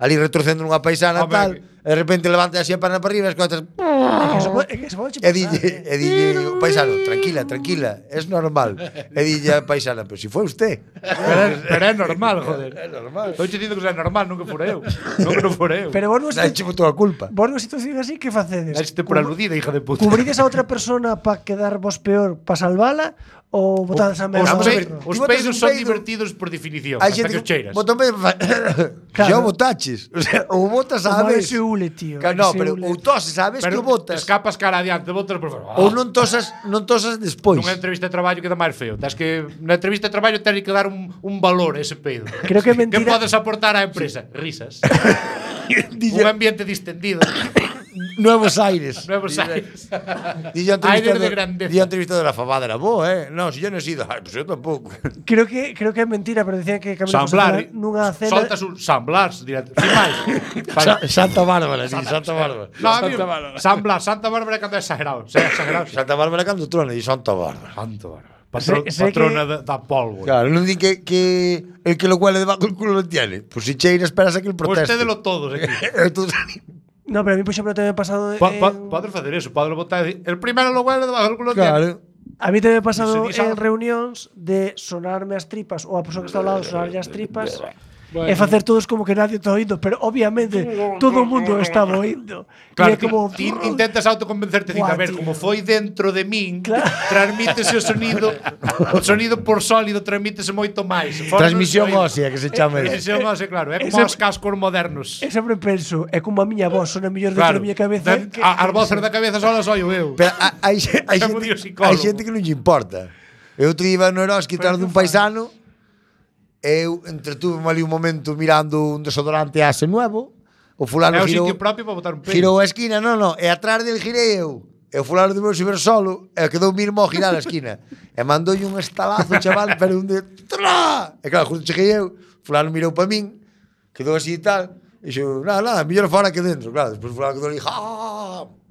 Ali retorcendo nunha paisana Home, tal, que- e de repente levanta así a perna para arriba e escoitas. é que eso pode- é que eso pode che E pasar, dille, eh. e dille o paisano, tranquila, tranquila, es normal. E dille a paisana, pero si foi usted. Pero, é- pero é normal, joder. É normal. Estou che dicindo que é normal, nunca fora eu. Nunca non fora eu. Pero vos non Dai, chevo toda a culpa. vos nunha situación así, que facedes? Este por aludida, hija de puta. Cubrides a outra persona para quedar vos peor, para salvala, ou botades a Os, merda Vamos ao a ver, outro? os ti botas peidos un son peido- divertidos por definición, Hai hasta xente que os cheiras. Botón medio fa... Claro. Xa o botaches. O sea, ou botas O a malo vez. se ule, tío. Ca- é que No, se pero ule. ou toses, sabes que o Pero botas. escapas cara adiante, botas por fora. Ou non tosas, non tosas despois. Nunha entrevista de traballo queda máis feo. Tens que na entrevista de traballo tens que dar un, un valor a ese peido. Creo que é mentira. Que podes aportar á empresa? Risas. un ambiente distendido. Nuevos Aires. Nuevos Aires. Dille a Aire de entrevistador, grandeza. dille a entrevistador, la fabada era boa, eh? No, si yo no he sido. Ay, pues yo tampoco. Creo que creo que é mentira, pero decían que Camilo José Samblar. Cela nunha cena Soltas un Samblar, directo. Sin máis. Sa- Santa Bárbara, sí, Santa Bárbara. No, a mí, Samblar, Santa Bárbara cando é exagerado. É exagerado. Santa Bárbara cando trona, di Santa Bárbara. Santo Bárbara. Patro, Sé- sé patrona que- da, da polvo. Claro, non di que, que el que lo huele debajo del culo lo tiene. Pues si cheira esperas a que el proteste. Usted de lo todos aquí. Entonces, No, pero a mí, por exemplo, tamén me ha pasado Po, en... po, podes facer eso, podes botar e dicir, el primero lo huele debajo del culo tiene. claro. A mí tamén me ha pasado Se dis en algo. reunións de sonarme as tripas ou a persoa que está ao lado sonarlle as tripas Bueno. e facer todos como que nadie está oindo, pero obviamente todo o mundo estaba oindo. Claro, e é como... ti intentas autoconvencerte de Guau, a ver, tío. como foi dentro de min, Claro. transmítese o sonido, o sonido por sólido transmítese moito máis. Fora Transmisión non se ósea, oído. que se chama. Transmisión ósea, claro, é como Ese- os cascos modernos. E sempre penso, é como a miña voz sona mellor dentro Claro, da miña cabeza. da- que- a- as voces da cabeza solas soy eu. Pero ha- hai, xe- hai, Chamo xente, Dios psicólogo. hai xente que non lle importa. Eu outro día iba no Eroski Pero tras que dun paisano. Eu entretuve ali un momento mirando un desodorante Axe nuevo. O fulano É o girou, sitio propio para botar un pelo. girou a esquina, non, non, e atrás del girei eu. E o fulano de meu ver solo, e quedou mismo a girar a esquina. E mandoulle un estalazo, chaval, pero un de... Tra! E claro, justo cheguei eu, fulano mirou pa min, quedou así e tal, e xo, nada, nada, mellor fora que dentro, claro. Despois fulano quedou ali, ja!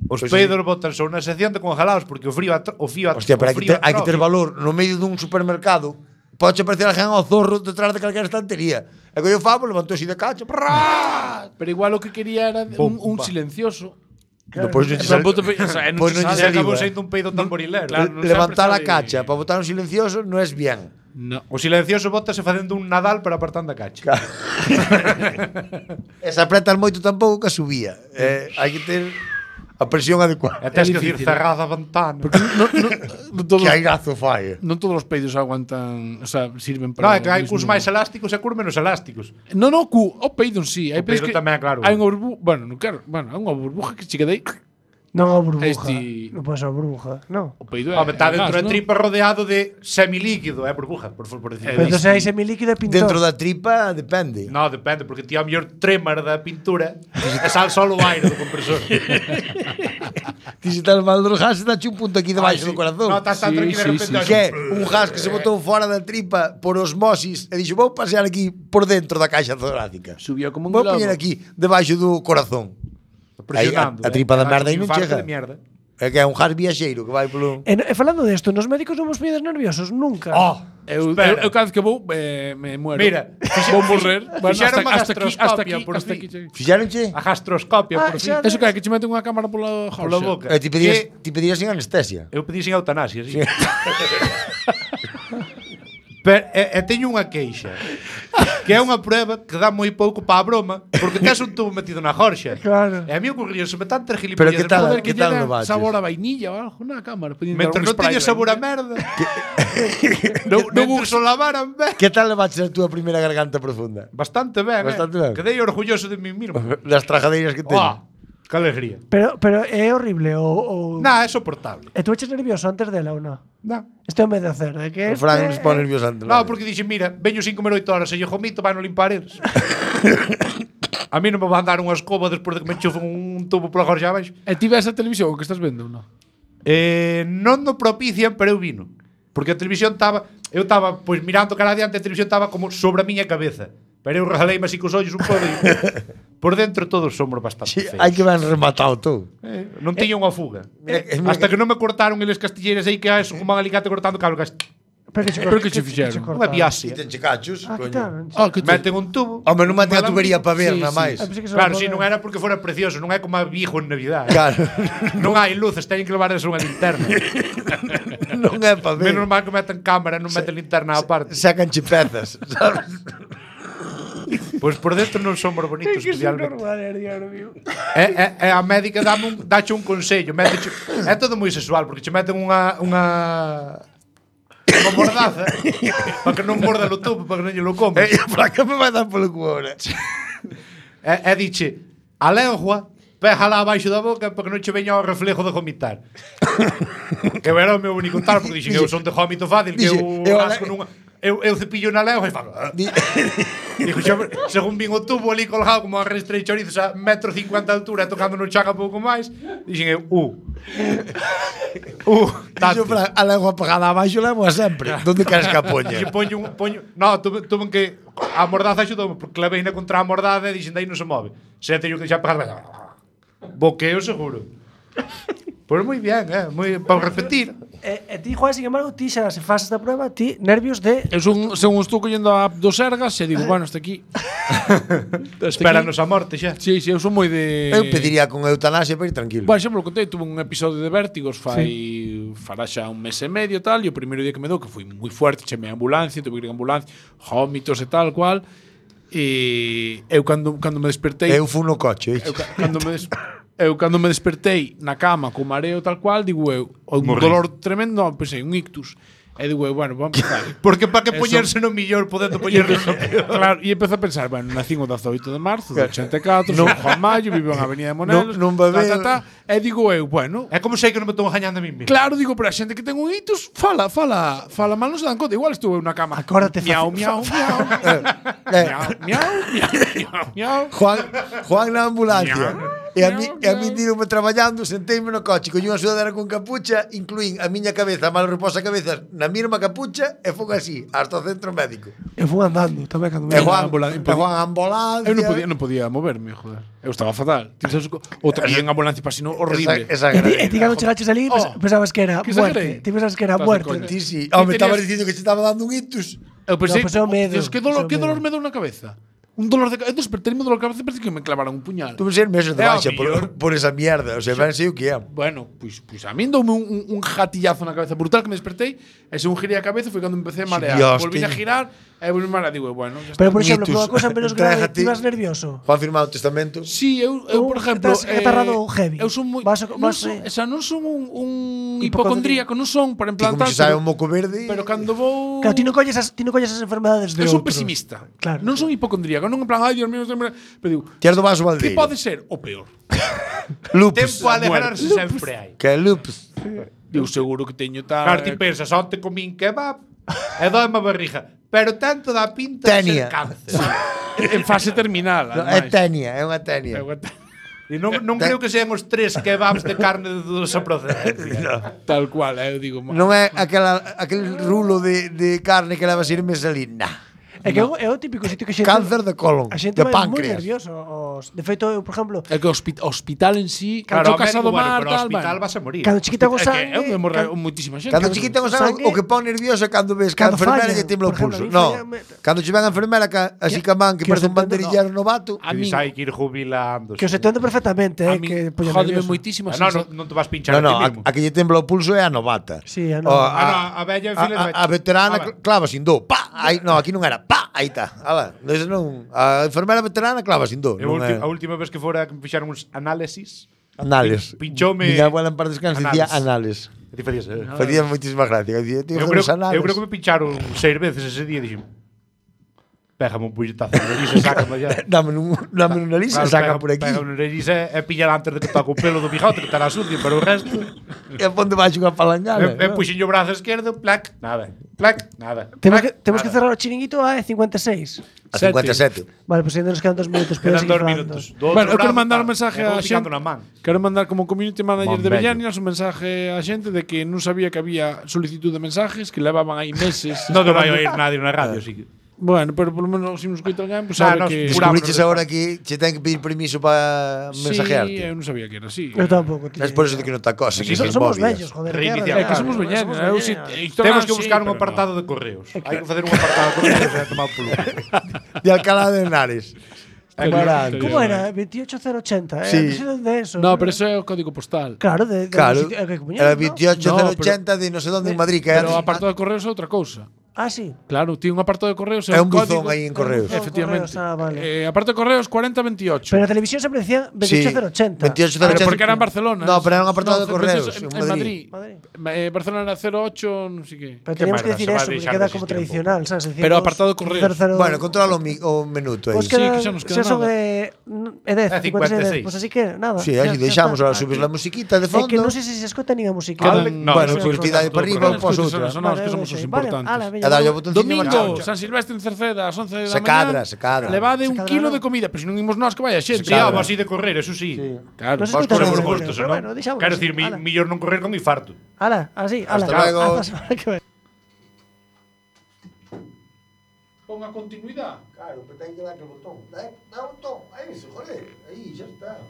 Os Pois peidos botan son unha sección de congelados porque o frío atro, o fío atro, Hostia, pero o hai que, frío ter, hai que ter atrofia. valor no medio dun supermercado. Pode parecer a gen ao zorro detrás de calquera estantería. E que eu favo, levantou así de cacho. Prrrr. Pero igual o que quería era un, un Pumba. silencioso. Depois non En lle plan, sal- boto pe- o sea, non Pois se non lle sabe. Se acabou saliva. sendo un peido tamborilero. Claro, non Levantar a sempre cacha sabe- para botar un silencioso non es bien. No. O silencioso bótase facendo un Nadal para apartando a cacha. E se apretas moito tampouco que subía. Eh, hai que ter A presión adecuada. E tens É que decir difícil, cerrada a ventana. Porque non, non, non todos, Que aigazo fai. non todos os peidos aguantan, o sea, sirven No, para... é que hai o cus mismo. máis elásticos e cus menos elásticos. No, no, cu, o peido en sí. Hai O peidos peido que tamén, claro. Hai unha burbuja, bueno, non quero, bueno, hai unha burbuja que chique dei. Non a burbuja. Este- Non pode ser burbuja, non. O peido é. Home, está é dentro gas, da non? tripa rodeado de semilíquido, é burbuja, por, por decir. Pero se hai semilíquido é pintor. Dentro da tripa depende. No, depende, porque ti ao mellor tremar da pintura e sal solo o aire do compresor. Ti se tal mal dos gases, dache un punto aquí debaixo do corazón. No, estás tan Sí, tranquilo sí, de repente. sí. Que é un gas que se botou fora da tripa por osmosis e dixo, vou pasear aquí por dentro da caixa torácica. Subiu como un Vou globo. poñer aquí debaixo do corazón. Aí, a, Presionando. a tripa da merda aí non Infarto chega. de mierda. É que é un gas viaxeiro que vai polo... E, e falando desto, nos médicos non vos poñedes nerviosos nunca. Oh, Eu, eu, espera. eu cada vez que vou eh, me muero. Mira, vou morrer. Bueno, fixeron hasta, unha hasta aquí, hasta gastroscopia aquí, por hasta fin. aquí. cheguei. Fixéronche? A gastroscopia, Ah, por fin. xa- Eso que é que che meten unha cámara pola Pola jorxa. boca. E ti pedías, Que- ti pedías sin anestesia. Eu pedí sin eutanasia, sí. Pero, e, e teño unha queixa. Que é unha prueba que dá moi pouco para a broma, porque tes un tubo metido na jorxa. Claro. E a mí ocurría se me tantas Pero gilipollas que tal? Joder, que que tal lle no dan baches? sabor a vainilla ou algo na cámara. Podían dar Mentre un non spray teña de sabor a vainilla. merda. Non non Mentre uso o lavaran ben. Que tal levaches a túa primeira garganta profunda? Bastante ben, Bastante eh? ben. Quedei orgulloso de mí mismo. Das trajadeiras que teño. Oh, que alegría. Pero, pero é horrible ou... ou... Nah, é soportable. E tú eches nervioso antes dela ou non? Nah. Este é o medo de hacer, de que O Fran este- se pone nervioso antes. No, porque dixen, mira, veño sin comer oito horas e lle jomito, vai no limpar eles. A mí non me van dar unha escoba despois de que me enchufen un tubo pola gorxa abaixo. E ti ves a televisión o que estás vendo, non? Eh, non no propician, pero eu vino. Porque a televisión estaba... Eu estaba, pois, mirando cara adiante, a televisión estaba como sobre a miña cabeza. Pero eu rejaleime así cos ollos un pouco e... Por dentro todos somos bastante Sí, feos. hai que ben rematado todo. Eh, non tiña unha fuga. Mira que- mira Hasta que- que non me cortaron eles castilleiras aí que é como un alicate cortando cable. Pero que che, Pero que che fixeron? Unha biasia. Quítenche cachos, Ah, coño. quitaron. Ah, que te... Meten un tubo. Home, non meten a un tubería para ver, Sí, nada sí. máis. Ah, pensei que se Claro, lo si podía- non era porque fora precioso, non é como a Vigo en Navidad. Claro. Non hai luces, teñen que levar eso unha linterna. Non é para ver. Menos mal que meten cámara, non meten linterna á parte. Sacanche pezas, sabes? Pois por dentro non somos bonitos Que son especialmente. normales, Dios mío. E, e, e a médica dame un, dache un consello, méteche, é todo moi sexual porque che meten unha unha unha mordaza para que non morda o tubo, para que non lle lo comas. E a placa me vai dar polo cu ahora. E, e diche, a lengua péjala abaixo da boca para que non che veña o reflejo de vomitar. Que era o meu único tal, porque dixen, eu son de vómito fácil, que Dixe, eu eu rasco ale- nunha... Eu, eu cepillo na lengua e fago... "Ah". Di- Dijo, xa, según vin o tubo ali colgado como a restrei chorizos a metro cincuenta de altura tocando no chan a pouco máis, dixen eu, uh. Uh, Dixo, tanto. Fran, a lengua pegada abaixo levo a sempre. Donde queres que a poña? Dixen, poño un... Poño... No, tuve, tuve que... A mordaza axudoume, porque levei na contra a mordaza e dixen, daí non se move. Se teño que deixar pegada... Boqueo seguro. Pois moi bien, eh? Moi, para repetir. E, e ti, Juan, sin embargo, ti xa se faz esta prueba, ti nervios de... Eu son, según estou collendo a app do Sergas, e digo, bueno, hasta aquí. Espéranos a morte xa. Sí, sí, eu son moi de... Eu pediría con eutanasia para ir tranquilo. Bueno, xa me lo contei, tuve un episodio de vértigos fai sí. fará xa un mes e medio tal, e o primeiro día que me dou, que foi moi fuerte, chemei a ambulancia, tuve que ir a ambulancia, vómitos e tal cual, e eu cando, cando me despertei... Eu fui no coche, Eu, ca- cando me des, eu cando me despertei na cama co mareo tal cual, digo eu, un Morri. dolor tremendo, non, pensei, un ictus. E digo eu, bueno, vamos a empezar. Porque para que Eso- poñerse no millor podendo poñerse no peor. Claro, e empecé a pensar, bueno, nacín o dezaoito de marzo de ochenta e catro, son Juan Mayo, vivo en Avenida de Monelos, Non- non va ta, ben. ta, ta, e digo eu, bueno, É como sei que non me estou engañando a mí mismo. claro, digo, pero a xente que ten un ictus, fala, fala, fala mal, non se dan conta, igual estuve eu na cama. Acórdate, miau, fa- miau, miau, Eh, miau, miau, miau, miau, miau. Juan, Juan na ambulancia. Miau, E a mí, miau, e a mí miau. tirome traballando, senteime no coche, coño unha sudadera con capucha, incluín a miña cabeza, a mal reposa cabeza na mesma capucha e fun así, hasta o centro médico. Eu fui andando tamén cando me... E Juan, ambulancia, e Juan a ambulancia. Eu non podía, non podía moverme, joder. Eu estaba fatal. Ti sabes co- outra en ambulancia pasino horrible. Esa, esa E ti, gran- e ti cando chegaches ali, pens- Oh, pensabas que era que muerte. exagerei. Ti pensabas que era Estás de muerte. coña. Ti sí. Ti Home, estaba tenías- dicindo que se estaba dando un ictus. Eu pensei, No, pues é o medo, Dios, que dolor, é o que dolor medo. me deu na cabeza. un dolor de cabeza, despertarme dolor de cabeza, parece que me clavaron un puñal. Tuve ser meses de É, baixa ao por, mellor. por esa mierda. O sea, ben sei o que é. Bueno, pois, pois a min doume un, un, un jatillazo na cabeza brutal que me despertei e según girei a cabeza foi cando empecé a marear. Dios, Volví a tío. girar e volví a marear. Digo, bueno, ya está. Pero, por exemplo, Mitos. por unha cosa menos grave, Entrégate. ti vas nervioso. Juan firmado o testamento. Sí, eu, eu por Ou exemplo, estás atarrado heavy. eu son moi Vas a- non vas, son, eh, o sea, non son un, un hipocondríaco. hipocondríaco, non son, por en Ti plan como tal, se sabe pero, un moco verde. pero cando vou Claro, ti non colles as, ti non colles as enfermedades de eu son outros. pesimista. Claro. Non son hipocondríaco, non en plan, ai, Dios mío, sempre, pero digo, Ti és do vaso que baldeiro. pode ser o peor? Lupus. Tempo a alegrarse sempre hai. Que é lupus. Digo, seguro que teño tal. Claro, ti pensas, onte comín kebab e doime a barriga. Pero tanto dá pinta de Tenia. ser cáncer. en fase terminal, No, é ademais. tenia, é unha tenia. É unha- E non, non creo que sean os tres kebabs de carne de dudosa procedencia. Tal cual, eh, eu digo, Non é aquela, aquel rulo de, de carne que leva sin mesalina. É que é o- é o típico sitio que a xente Cáncer de colon, a xente de vai moi páncreas. nervioso. Os, de feito, eu, por exemplo, É que o hospi- hospital en sí, Claro, claro, ao casa do médico, bueno, mar, pero ao tal, hospital bueno. vas a morir. cando chiquita go É que sangue, é onde morre can- moitísima xente. Cando chiquita o sangue, o que pon nervioso é cando ves que a Cando enfermera falla, lle tembla o por exemplo, pulso. a mí No, falla- cando che ven a enfermera ca, así ca man que que parece os un entendo, banderillero novato. A Que min, hai que ir jubilando. que os entendo perfectamente, a eh, min que poña jódeme nervioso. moitísimo a Ah, no, sensa- non, non te vas pinchar No, no, a a, ti mismo. a que lle tembla o pulso é a novata. Sí, a O, nova. Ah, no, a bella en a, fila a, de- a veterana Ah, cl- clava sin do. Pa, aí, no, aquí non era. Pa, aí está. Ala, ese non. A enfermera veterana clava sin do. E a, Non ulti, é. a última vez que fora que me fixaron uns análisis, Anales. Pin- pinchoume- Miña abuela en par descanso dicía anales. e ti facías, eh? Facía moitísima gracia. Dicía, tío, Eu facer creo, os anales. eu creo que me pincharon seis veces ese día e dixen, pégame un puñetazo na nariz e sácame ya. Dame un, dame unha lisa, Claro, saca pega- por aquí. Pega unha nariz e, e pilla antes de que toque o pelo do bigote, que estará sucio, pero o resto... E ponte baixo unha palangana. E, e puxen o brazo esquerdo, plac, nada. Plac, nada. Temos plac, que, temos que nada. cerrar o chiringuito a cincuenta e seis. A cincuenta e sete. Vale, pois pues ainda nos quedan dos minutos. pero Quedan seguir dos falando. minutos. Do outro Bueno, eu quero brazo, mandar un tal, mensaje e vou a picando xente. na man. Quero mandar como community manager Mon de bello. Bellanias un mensaje a xente de que non sabía que había solicitud de mensajes, que levaban aí meses. Non te vai esperando. oír nadie na radio, así que... Bueno, pero polo menos se nos escoita alguén, pues Ah, sabe nos que curamos. Descubriches agora que che ten que pedir permiso para Sí, mensajearte. eu non sabía que era así. Eu tampouco. tío. Es por eso de que non te acosan. Sí, esas So- somos movidas. vellos, joder. Reiniciar. que É que arreglar. somos Somos veñanos, eu si veñanos. Temos que sí, buscar un pero apartado de correos. Hai que facer un apartado de correos e tomar polo. De Alcalá de Henares. Estaría- Barán. estaría Como ben. era? veintiocho cero ochenta, eh? Sí. Non sei onde é eso. No, pero eso é o código postal. Claro, de, de Claro, sitio- é que Comuñón, era ¿no? veintiocho cero No, pero- ochenta de non sei onde en Madrid, que Pero o era apartado de correos é outra cousa. Ah, sí. Claro, tiene un apartado de correos É un código- buzón aí en correos. buzón. Efectivamente. Correos, ah, vale. Eh, apartado de correos cuarenta veintiocho. Pero na televisión sempre decían veintiocho cero ochenta. veintiocho cero Pero ochenta. porque era en Barcelona. No, pero era un apartado de No, correos en, en en Madrid. Madrid. Madrid. Eh, Barcelona era cero ocho, non sei que. Pero Qué teníamos que merda, decir se va a eso, porque deixar queda de como existir un tradicional, sabes? Decir, Pero dos- apartado de correos. cero cero- Bueno, controla o, mi, o minuto aí. Pues Sí, queda, que xa nos queda xa son nada. eh, é dez, É cincuenta e seis, cincuenta e seis. pues así que nada. Sí, xa- así xa deixamos, está. ahora subes la musiquita de É fondo. que non sei se se escuta nin a música. Quedan- No, bueno, eso pues sí, ti dai todo para arriba, correcto. pos Escucha, outra. son nós que somos os importantes. Vale, E dalle o botoncillo Domingo, marchamos. San Silvestre en Cerceda, ás once da Se mañá. cadra, se cadra. Levade Se un cadra, kilo non? de comida, pero se non imos nós que vaya xente. Sí, vamos así de correr, eso sí. Claro. Non se Vos escuta corremos nada, justos, pero ¿no? bueno, deixámoslo Quero así, dicir, mi, ala. millor non correr con infarto. Ala, así, ala. Hasta luego. Hasta a semana que ven. Pon a continuidade. Claro, pero ten que darle o botón. Dá, dá o botón. Aí, joder. Aí, xa está.